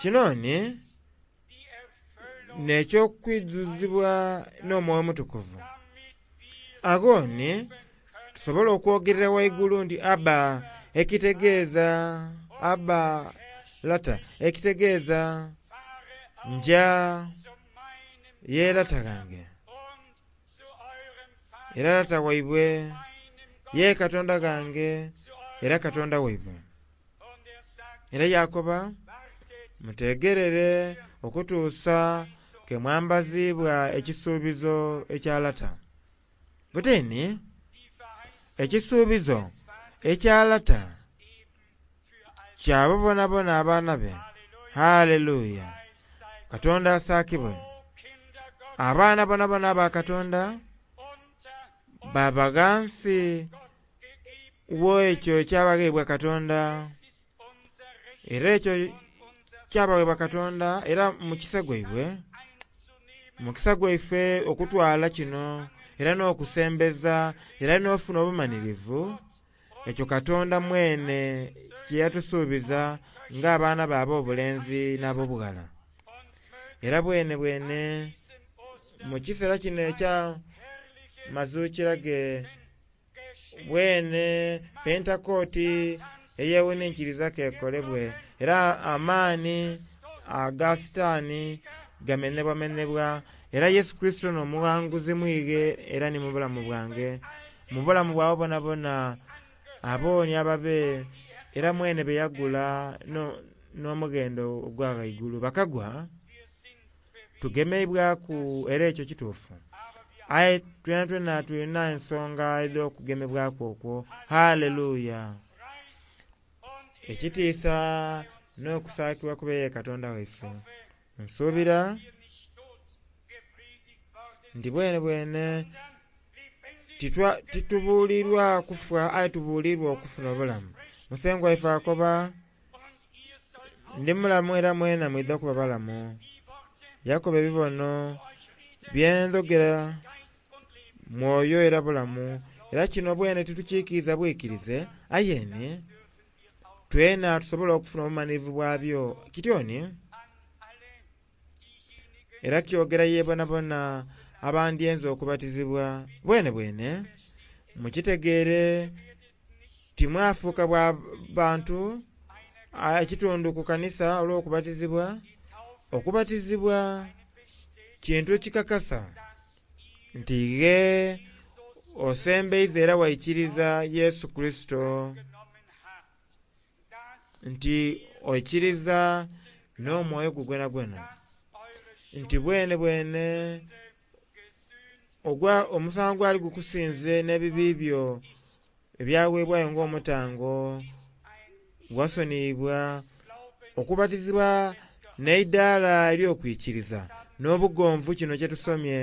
Kino ni n'ekyokwidhuzibwa n'Omwoyo Omutukuvu. Agho ni tusobola okwogerera waigulu nti Abba, ekitegeeza Abba Lata, ekitegeeza nja ye Lata ghange era Lata waibwe, ye Katonda ghange era Katonda waibwe. Era yakoba, mutegerere okutuusa ke mwambaziibwa ekisuubizo ekya Lata. Butini ekisuubizo ekya Lata kyabo bonabona abaana be. Haleluya! Katonda asaakibwe. Abaana bonabona aba Katonda baba ghansi w'ekyo ekyabagheebwa Katonda, era ekyo kyabaweebwa Katonda era mukisa gwaibwe, mukisa gwaife okutwala kino era n'okusembeza era n'ofuna obumanirivu ekyo Katonda mwene kye yatusuubiza ng'abaana be ab'obulenzi n'ab'obughala. Era bwene bwene mu kiseera kino ekya mazuukira ge bwene Pentekooti eyewuninkiriza kekolebwe era amaani aga Sitaani gamenebwamenebwa era Yesu Kristo n'omughanguzi mwighe era ni mu bulamu bwange, mu bulamu bwabo bonabona abooni ababe era mwene be yagula n'omughendo ogwa ghaigulu. Bakagwa tugemeibwaku era ekyo kituufu, aye twena twena tulina ensonga edh'okugemebwaku okwo. Haleluya! Ekitiisa n'okusaakibwa kube ye Katonda waife. Nsuubira nti bwene bwene titubuulirwa kufa aye tubuulirwa okufuna obulamu. Musengwa waife akoba, ndi mulamu era mwena mwidha kuba balamu. Yakoba ebibono byendhogera mwoyo era bulamu, era kino bwene titukiikiriza bwikirize, aye ni twena tusobola okufuna obumanirivu bwabyo. Kityoni era kyogera ye bonabona abandyenze okubatizibwa. Bwene bwene mukitegeere timwafuuka bwa bantu ekitundu ku kanisa olw'okubatizibwa. Okubatizibwa kintu ekikakasa nti ghe osembeiza era waikiriza Yesu Kristo, nti oikiriza n'omwoyo gwo gwenagwena, nti bwene bwene omusango gwali gukusinze n'ebibi byo ebyaweebwayo ng'omutango wasoniibwa. Okubatizibwa n'eidaala ery'okwikiriza n'obugonvu kino kye tusomye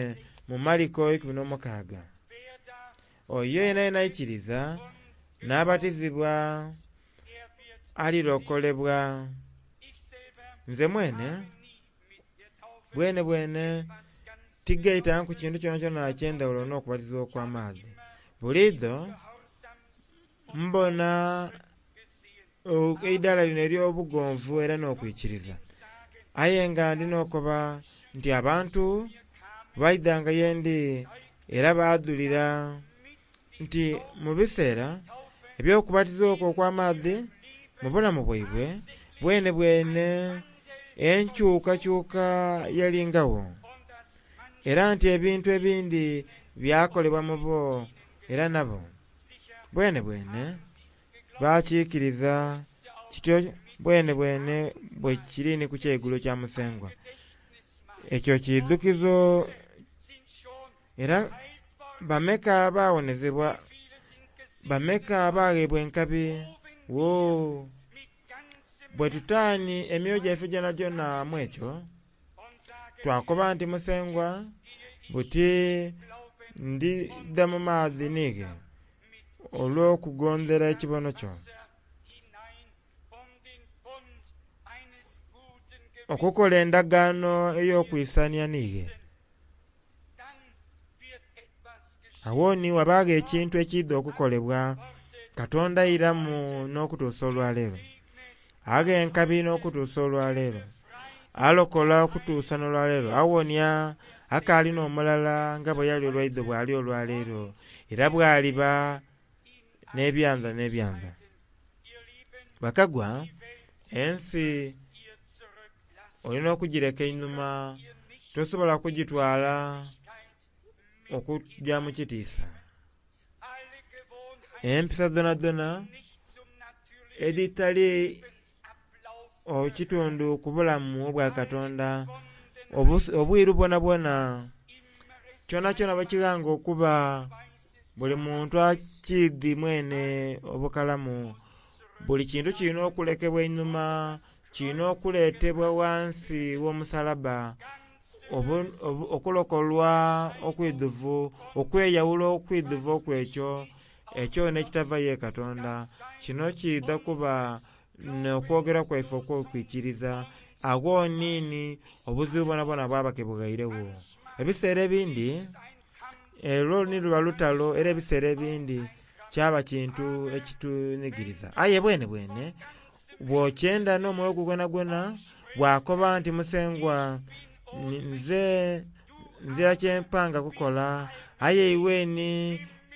mu Mariko 16. Oyo yena yena aikiriza n'abatizibwa alirokolebwa. Nze mwene bwene bwene tigaitanku kintu kyonakyona eky'endhawulo n'okubatizibwa okw'amaadhi. Buliidho mbona eidaala lino ery'obugonvu era n'okwikiriza, aye nga ndi n'okoba nti abantu baidhanga yendi era baadhulira nti mu biseera eby'okubatizibwa okwo okw'amaadhi mu bulamu bwaibwe bwene bwene enkyukakyuka yalingagho, era nti ebintu ebindi byakolebwa mu bo era nabo bwene bwene bakiikiriza kityo bwene bwene bwe kiri ni ku kyeigulo kya Musengwa. Ekyo kidhukizo era bameka abawonezebwa, bameka abaghebwa enkabi. Wo bwe tutaani emyoyo gyaife gyonagyona mu ekyo, twakoba nti Musengwa buti ndidha mu maadhi niighe olw'okugondera ekibono kyo, okukola endagaano ey'okwisania niighe. Agho ni wabagho ekintu ekiidha okukolebwa. Katonda airamu n'okutuusa olwaleero, agha enkabi n'okutuusa olwaleero, alokola okutuusa n'olwaleero, awonia. Akaali n'omulala nga bwe yali olwaidho bw'ali olwaleero, era bw'aliba n'ebyanda n'ebyanda. Bakagwa, ensi olina okugireka einhuma, tosobola kugitwala okugya mu kitiisa. Empisa dhonadhona edhitali ekitundu ku bulamu obwa Katonda, obwiru bwonabwona, kyonakyona bwekighanga okuba, buli muntu akiidhi mwenhe obukalamu. Buli kintu kilina okulekebwa einhuma, kilina okuletebwa ghansi gh'omusalaba, okulokolwa okwidhuvu, okweyawula okwidhuvu okw'ekyo, ekyo nh'ekitava ye Katonda. Kino kiidha kuba n'okwogera kwaife okw'okwikiriza, agho nini obuzibu bwonabwona bwaba kebughairegho. Ebiseera ebindi olwo ni luba lutalo era ebiseera ebindi kyaba kintu ekitunhigiriza. Aye bwenebwene bw'okyenda n'omwoyo gwo gwonagwona, bwakoba nti Musengwa nze nzira kyempanga kukola, aye iwe ni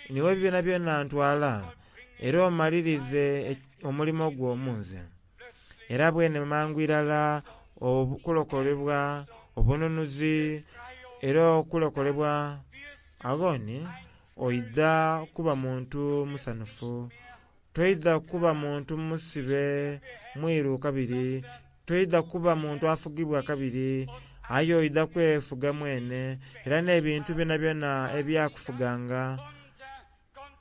niiwe byonabyona ntwala era omalirize omulimo gwo mu nze. Era bwene mangu irala okulokolebwa, obununuzi era okulokolebwa agho ni oidha kuba muntu musanhufu, toidha kuba muntu musibe mwiru kabiri, toidha kuba muntu afugibwa kabiri, aye oidha kwefuga mwene era n'ebintu byonabyona ebyakufuganga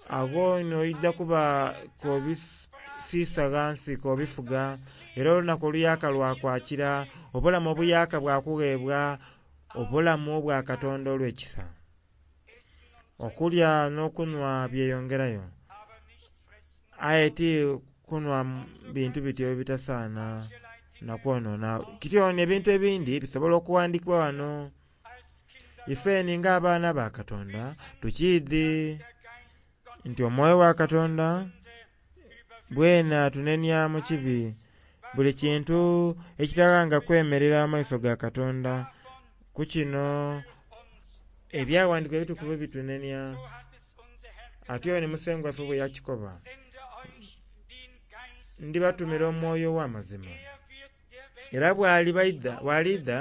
agho ni oidha kuba k'obisiisa ghansi k'obifuga era olunaku oluyaaka lwakwakira, obulamu obuyaaka bwakughebwa, obulamu obwa Katonda olw'ekisa. Okulya n'okunhwa byeyongerayo, aye ti kunhwa bintu bityo ebitasaana na kwonona. Kityo n'ebintu ebindi bisobola okughandhikibwa ghano. Ifeni ng'abaana ba Katonda tukiidhi nti omwoyo wa Katonda bwene atunenia mu kibi. Buli kintu ekitaghanga kwemerera mu maiso ga Katonda. Ku kino Ebyaghandhikibwa ebitukuvu bitunenia atyo ni Musengwa waife bwe yakikoba, ndibatumira omwoyo ow'amazima. Era bw'aliidha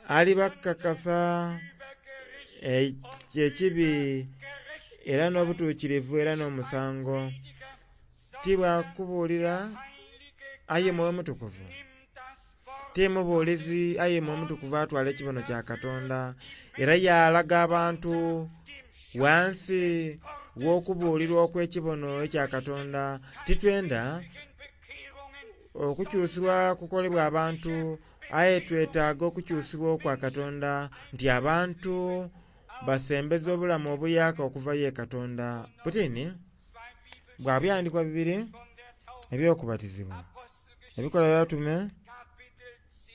alibakakasa ekibi era n'obutuukirivu era n'omusango. Ti bwa kubuulira aye Mwoyo Mutukuvu. Ti mubuulizi aye Mwoyo Mutukuvu atwala ekibono kya Katonda era yaalaga abantu ghansi gh'okubuulirwa okw'ekibono ekya Katonda. Titwenda okukyusibwa kukolebwa abantu, aye twetaaga okukyusibwa okwa Katonda nti abantu basembeza obulamu obuyaaka okuva ye Katonda. Butini bwa byandikwa bibiri eby'okubatizibwa. Ebikolwa by'Abatume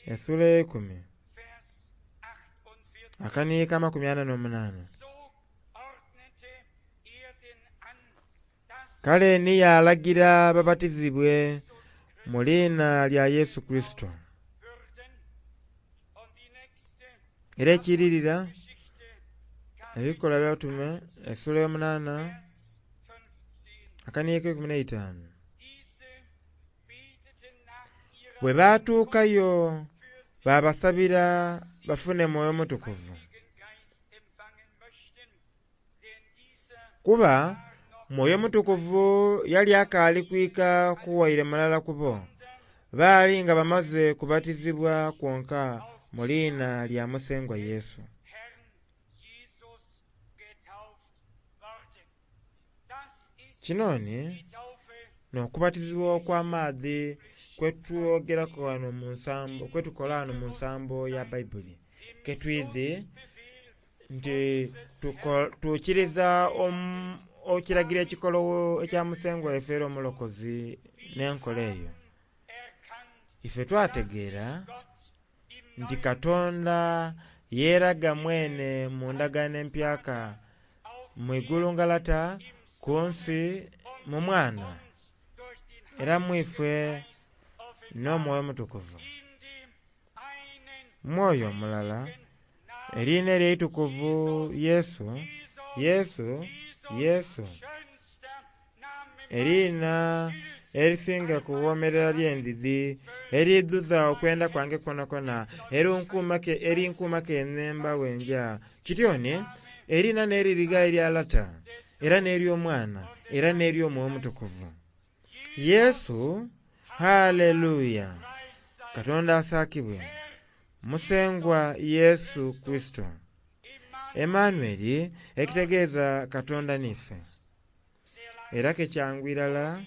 esula eyeikumi akaniika 48. Kale ni yaalagira babatizibwe mu liina lya Yesu Kurisito. Era ekiiririra Ebikolwa by'Abatume esula eyomunaana akaniika 15. Bwe baatuukayo baabasabira bafune Mwoyo Mutukuvu. Kuba Mwoyo Mutukuvu yali akaali kwika ku waire mulala ku bo. Baali nga bamaze kubatizibwa kwonka mu liina lya Musengwa Yesu. Kino ni n'okubatizibwa okw'amaadhi kwetwogeraku ghano mu nsambo kwetukola ghano mu nsambo ya Baibuli, ketwidhi nti tukiriza ekiragiro ekikologho ekya Musengwa waife era Omulokozi n'enkola eyo. Ife twategeera nti Katonda yeeraga mwene mu ndagaano empyaka, mu igulu nga Lata, ku nsi mu Mwana, era mu ife n'Omwoyo Omutukuvu. Mwoyo mulala. Eriina eryo eitukuvu Yesu, Yesu, Yesu. Eriina erisinga kuwomerera lyendidi, eriidhuza okwenda kwange kwonakwo, erinkuuma kenemba bwenja. Kityoni, eriina n'eririgha erya Lata, era n'ery'Omwana, era n'ery'Omwoyo Omutukuvu. Yesu, haleluya! Katonda asaakibwe. Musengwa Yesu Kurisito. Emmanueli ekitegeeza Katonda niife. Era ke kyangu irala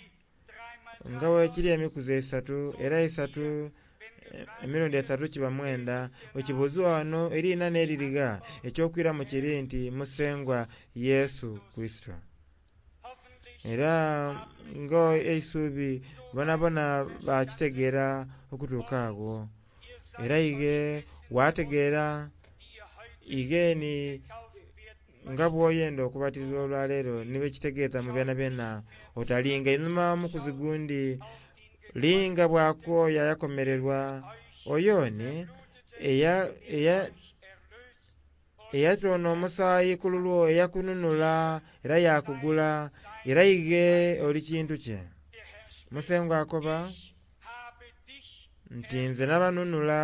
nga bwekiri emikuzi esatu era esatu emirundi esatu kiba mwenda. Wekibuuziwa wano eriina n'eririgha ekyokwiramu kiri nti Musengwa Yesu Kurisito. Era nga eisubi bonabona bakitegeera okutuuka agho. Era ighe wategeera ighe ni nga bw'oyenda okubatizibwa olwaleero ni bwekitegeeza mu byonabyona otalinga inhuma mukuzi gundi linga bwaku oyo ayakomererwa oyo ni eyatoona omusaayi ku lulwo eyakununula era yakugula era ighe oli kintu kye. Musengwa akoba nti nze nabanunula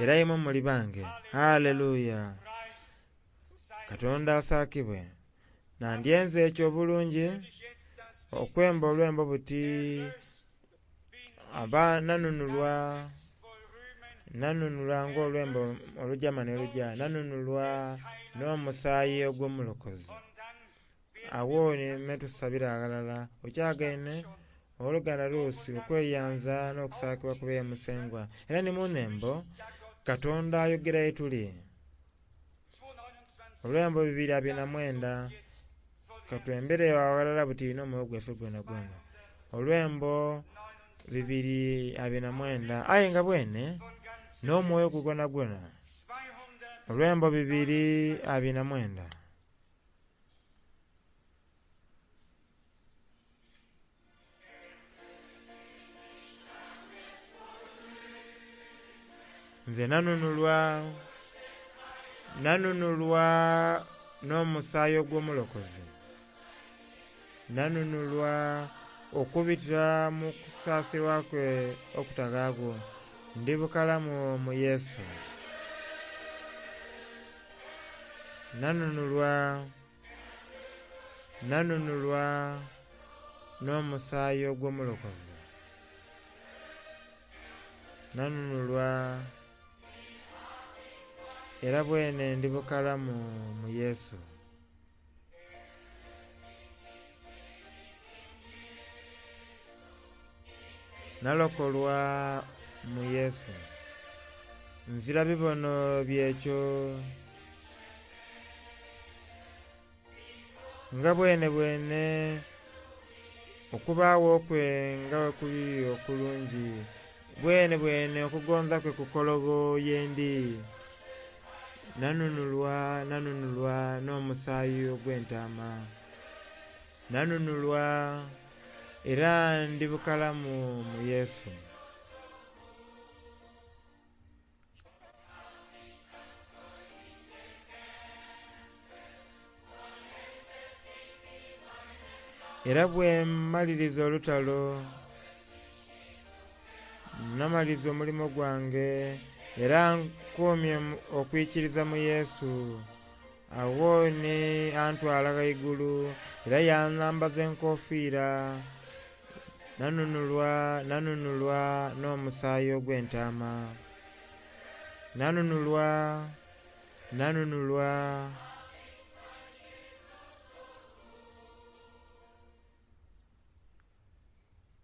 era imwe muli bange. Haleluya! Katonda asaakibwe. Nandyenze ekyo obulungi okwemba olwembo buti aba nanunulwa nanunulwa ng'olwembo olujama n'oluja nanunulwa n'omusaayi ogw'omulokozi. Awo ni tusabira aghalala okyagaine oluganda lusi okweyanza n'okusaakibwa kube Musengwa. Era ni mu nnembo Katonda ayogera ye tuli. Olwembo 229 katwembere aghalala buti n'omwoyo gwaife gwonagwona. Olwembo 229 aye nga bwene n'omwoyo gwo gwonagwona. Olwembo 229. Nze nanunulwa nanunulwa n'omusaayi ogw'omulokozi. Nanunulwa okubitira mu kusaasirwa kwe okutaghaagho. Ndi bukalamu mu Yesu. Nanunulwa nanunulwa n'omusaayi ogw'omulokozi. Nanunulwa era bwene ndi bukalamu mu Yesu. Nalokolwa mu Yesu. Nzira bibono byekyo nga bwene bwene okubaawo kwe nga bwe kuli okulungi bwene bwene okugonza kwe kukologho yendi. Nanunulwa nanunulwa n'omusaayi ogw'entaama. Nanunulwa era ndi bukalamu mu Yesu. Era bwe mmaliriza olutalo namaliriza omulimo gwange era nkuumye okwikiriza mu Yesu. Agho ni antwala ghaigulu era yanambaza enkofiira. Nanunulwa nanunulwa n'omusaayi ogw'entaama. Nanunulwa nanunulwa.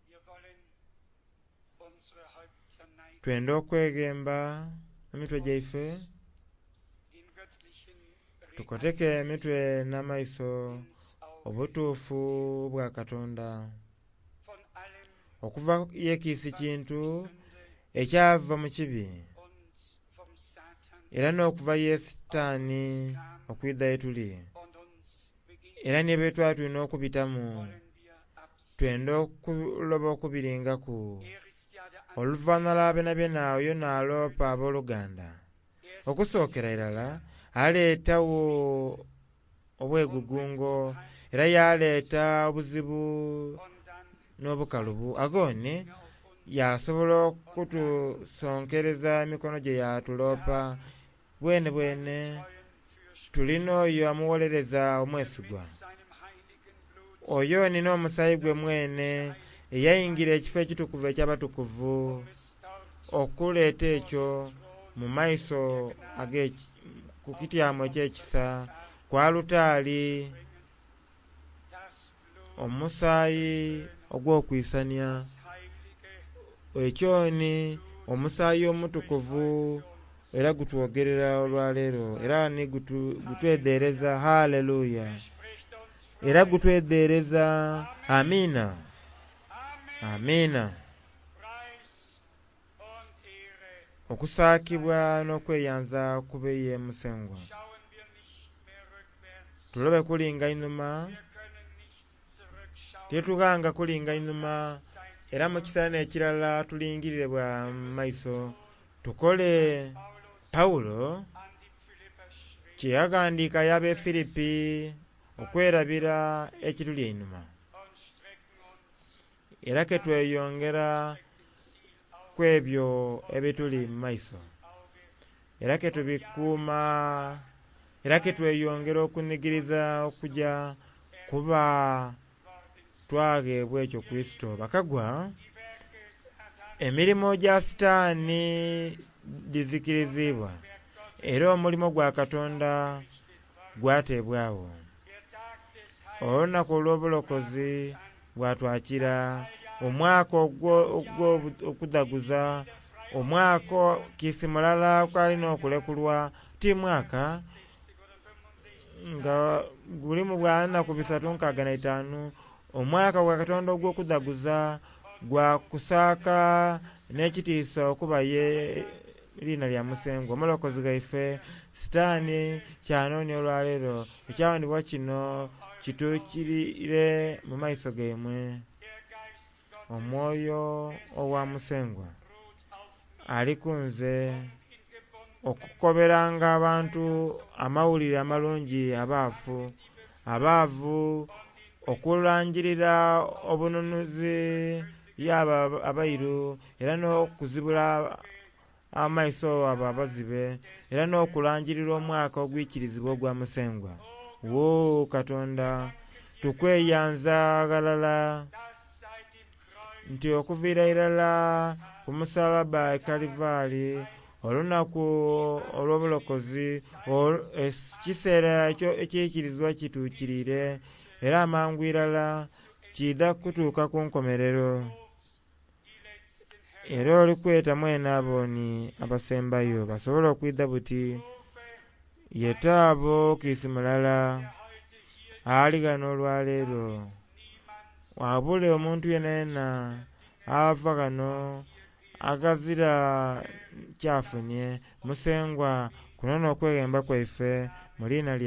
Wir wollen unsere Häupter neigen, Twenda okweghemba emitwe gyaife den göttlichen tukoteke emitwe n'amaiso ins Auge obutuufu bwa Katonda. von allem, Okuva yekiisi was kintu durch Sünde ekyava mu kibi und vom Satan era n'okuva ye Sitaani okwidha ye tuli. und uns begegnet, Era ni bye twali tulina okubitamu wollen wir absehen. twenda okuloba okubiringaku. Er ist ja der Oluvannyuma lwa byonabyona oyo n'aloopa abooluganda. Er ist Okusookera irala aleetagho obwegugungo era yaleeta obuzibu n'obukalubu. Aghoni yasobola okutusonkereza emikono gye yatulopa. Bwenebwene tulina oyo omugholereza omwesigwa. Oyo ni n'omusaayi gwe mwene eyaingira ekifo ekitukuvu eky'abatukuvu okuleeta ekyo mu maiso ku kityamo eky'ekisa ku alutaari, omusaayi ogw'okwisania. Ekyo ni omusaayi omutukuvu era gutwogerera olwaleero era ni gutwedhereza. Haleluya! Era gutwedhereza. Amiina, amiina. Okusaakibwa n'okweyanza kube ye Musengwa. Tulobe kulinga inhuma, titughanga kulinga inhuma, era mu kiseera n'ekirala tulingirire bwa mu maiso. Tukole Pawulo kye yaghandiika y'ab'e Filipi, okwerabira ekituli einhuma era ke tweyongera ku ebyo ebituli mu maiso, era ke tubikuuma, era ke tweyongera okunhigiriza okugya kuba twagheebwa ekyo Kurisito. Bakagwa, emirimo gya Sitaani dhizikirizibwa era omulimo gwa Katonda gwateebwagho. Olunaku olw'obulokozi bwatwakira, omwaka ogw'okudhaguza, omwaka kiisi mulala kwalina okulekulwa, ti mwaka nga gulimu bwa nnaku 365. Omwaka gwa Katonda ogw'okudhaguza gwa kusaaka n'ekitiisa okuba ye liina lya Musengwa omulokozi ghaife. Sitaani kyanoonia olwaleero, ekyawandikibwa kino kituukirire mu maiso gaimwe. Omwoyo owa Musengwa ali ku nze okukoberanga abantu amawulire amalungi abaafu, abaavu, okulangirira obununuzi y'abo abairu, era n'okuzibula amaiso abo abazibe, era n'okulangirira omwaka ogwikirizibwa ogwa Musengwa. Wo Katonda, tukweyanza ghalala nti okuviira irala ku musalaba e Kalivaali, olunaku olw'obulokozi, ekiseera ekiikirizibwa kituukiriire, era amangu irala kiidha kutuuka ku nkomerero. Era oli kweta mwene abo ni abasembayo basobole okwidha buti. Yeta abo kiisi mulala ali ghano olwaleero. Wabule omuntu yenayena ava ghano aghazira kyafunye. Musengwa, kuno n'okweghemba kwaife mu liina lya.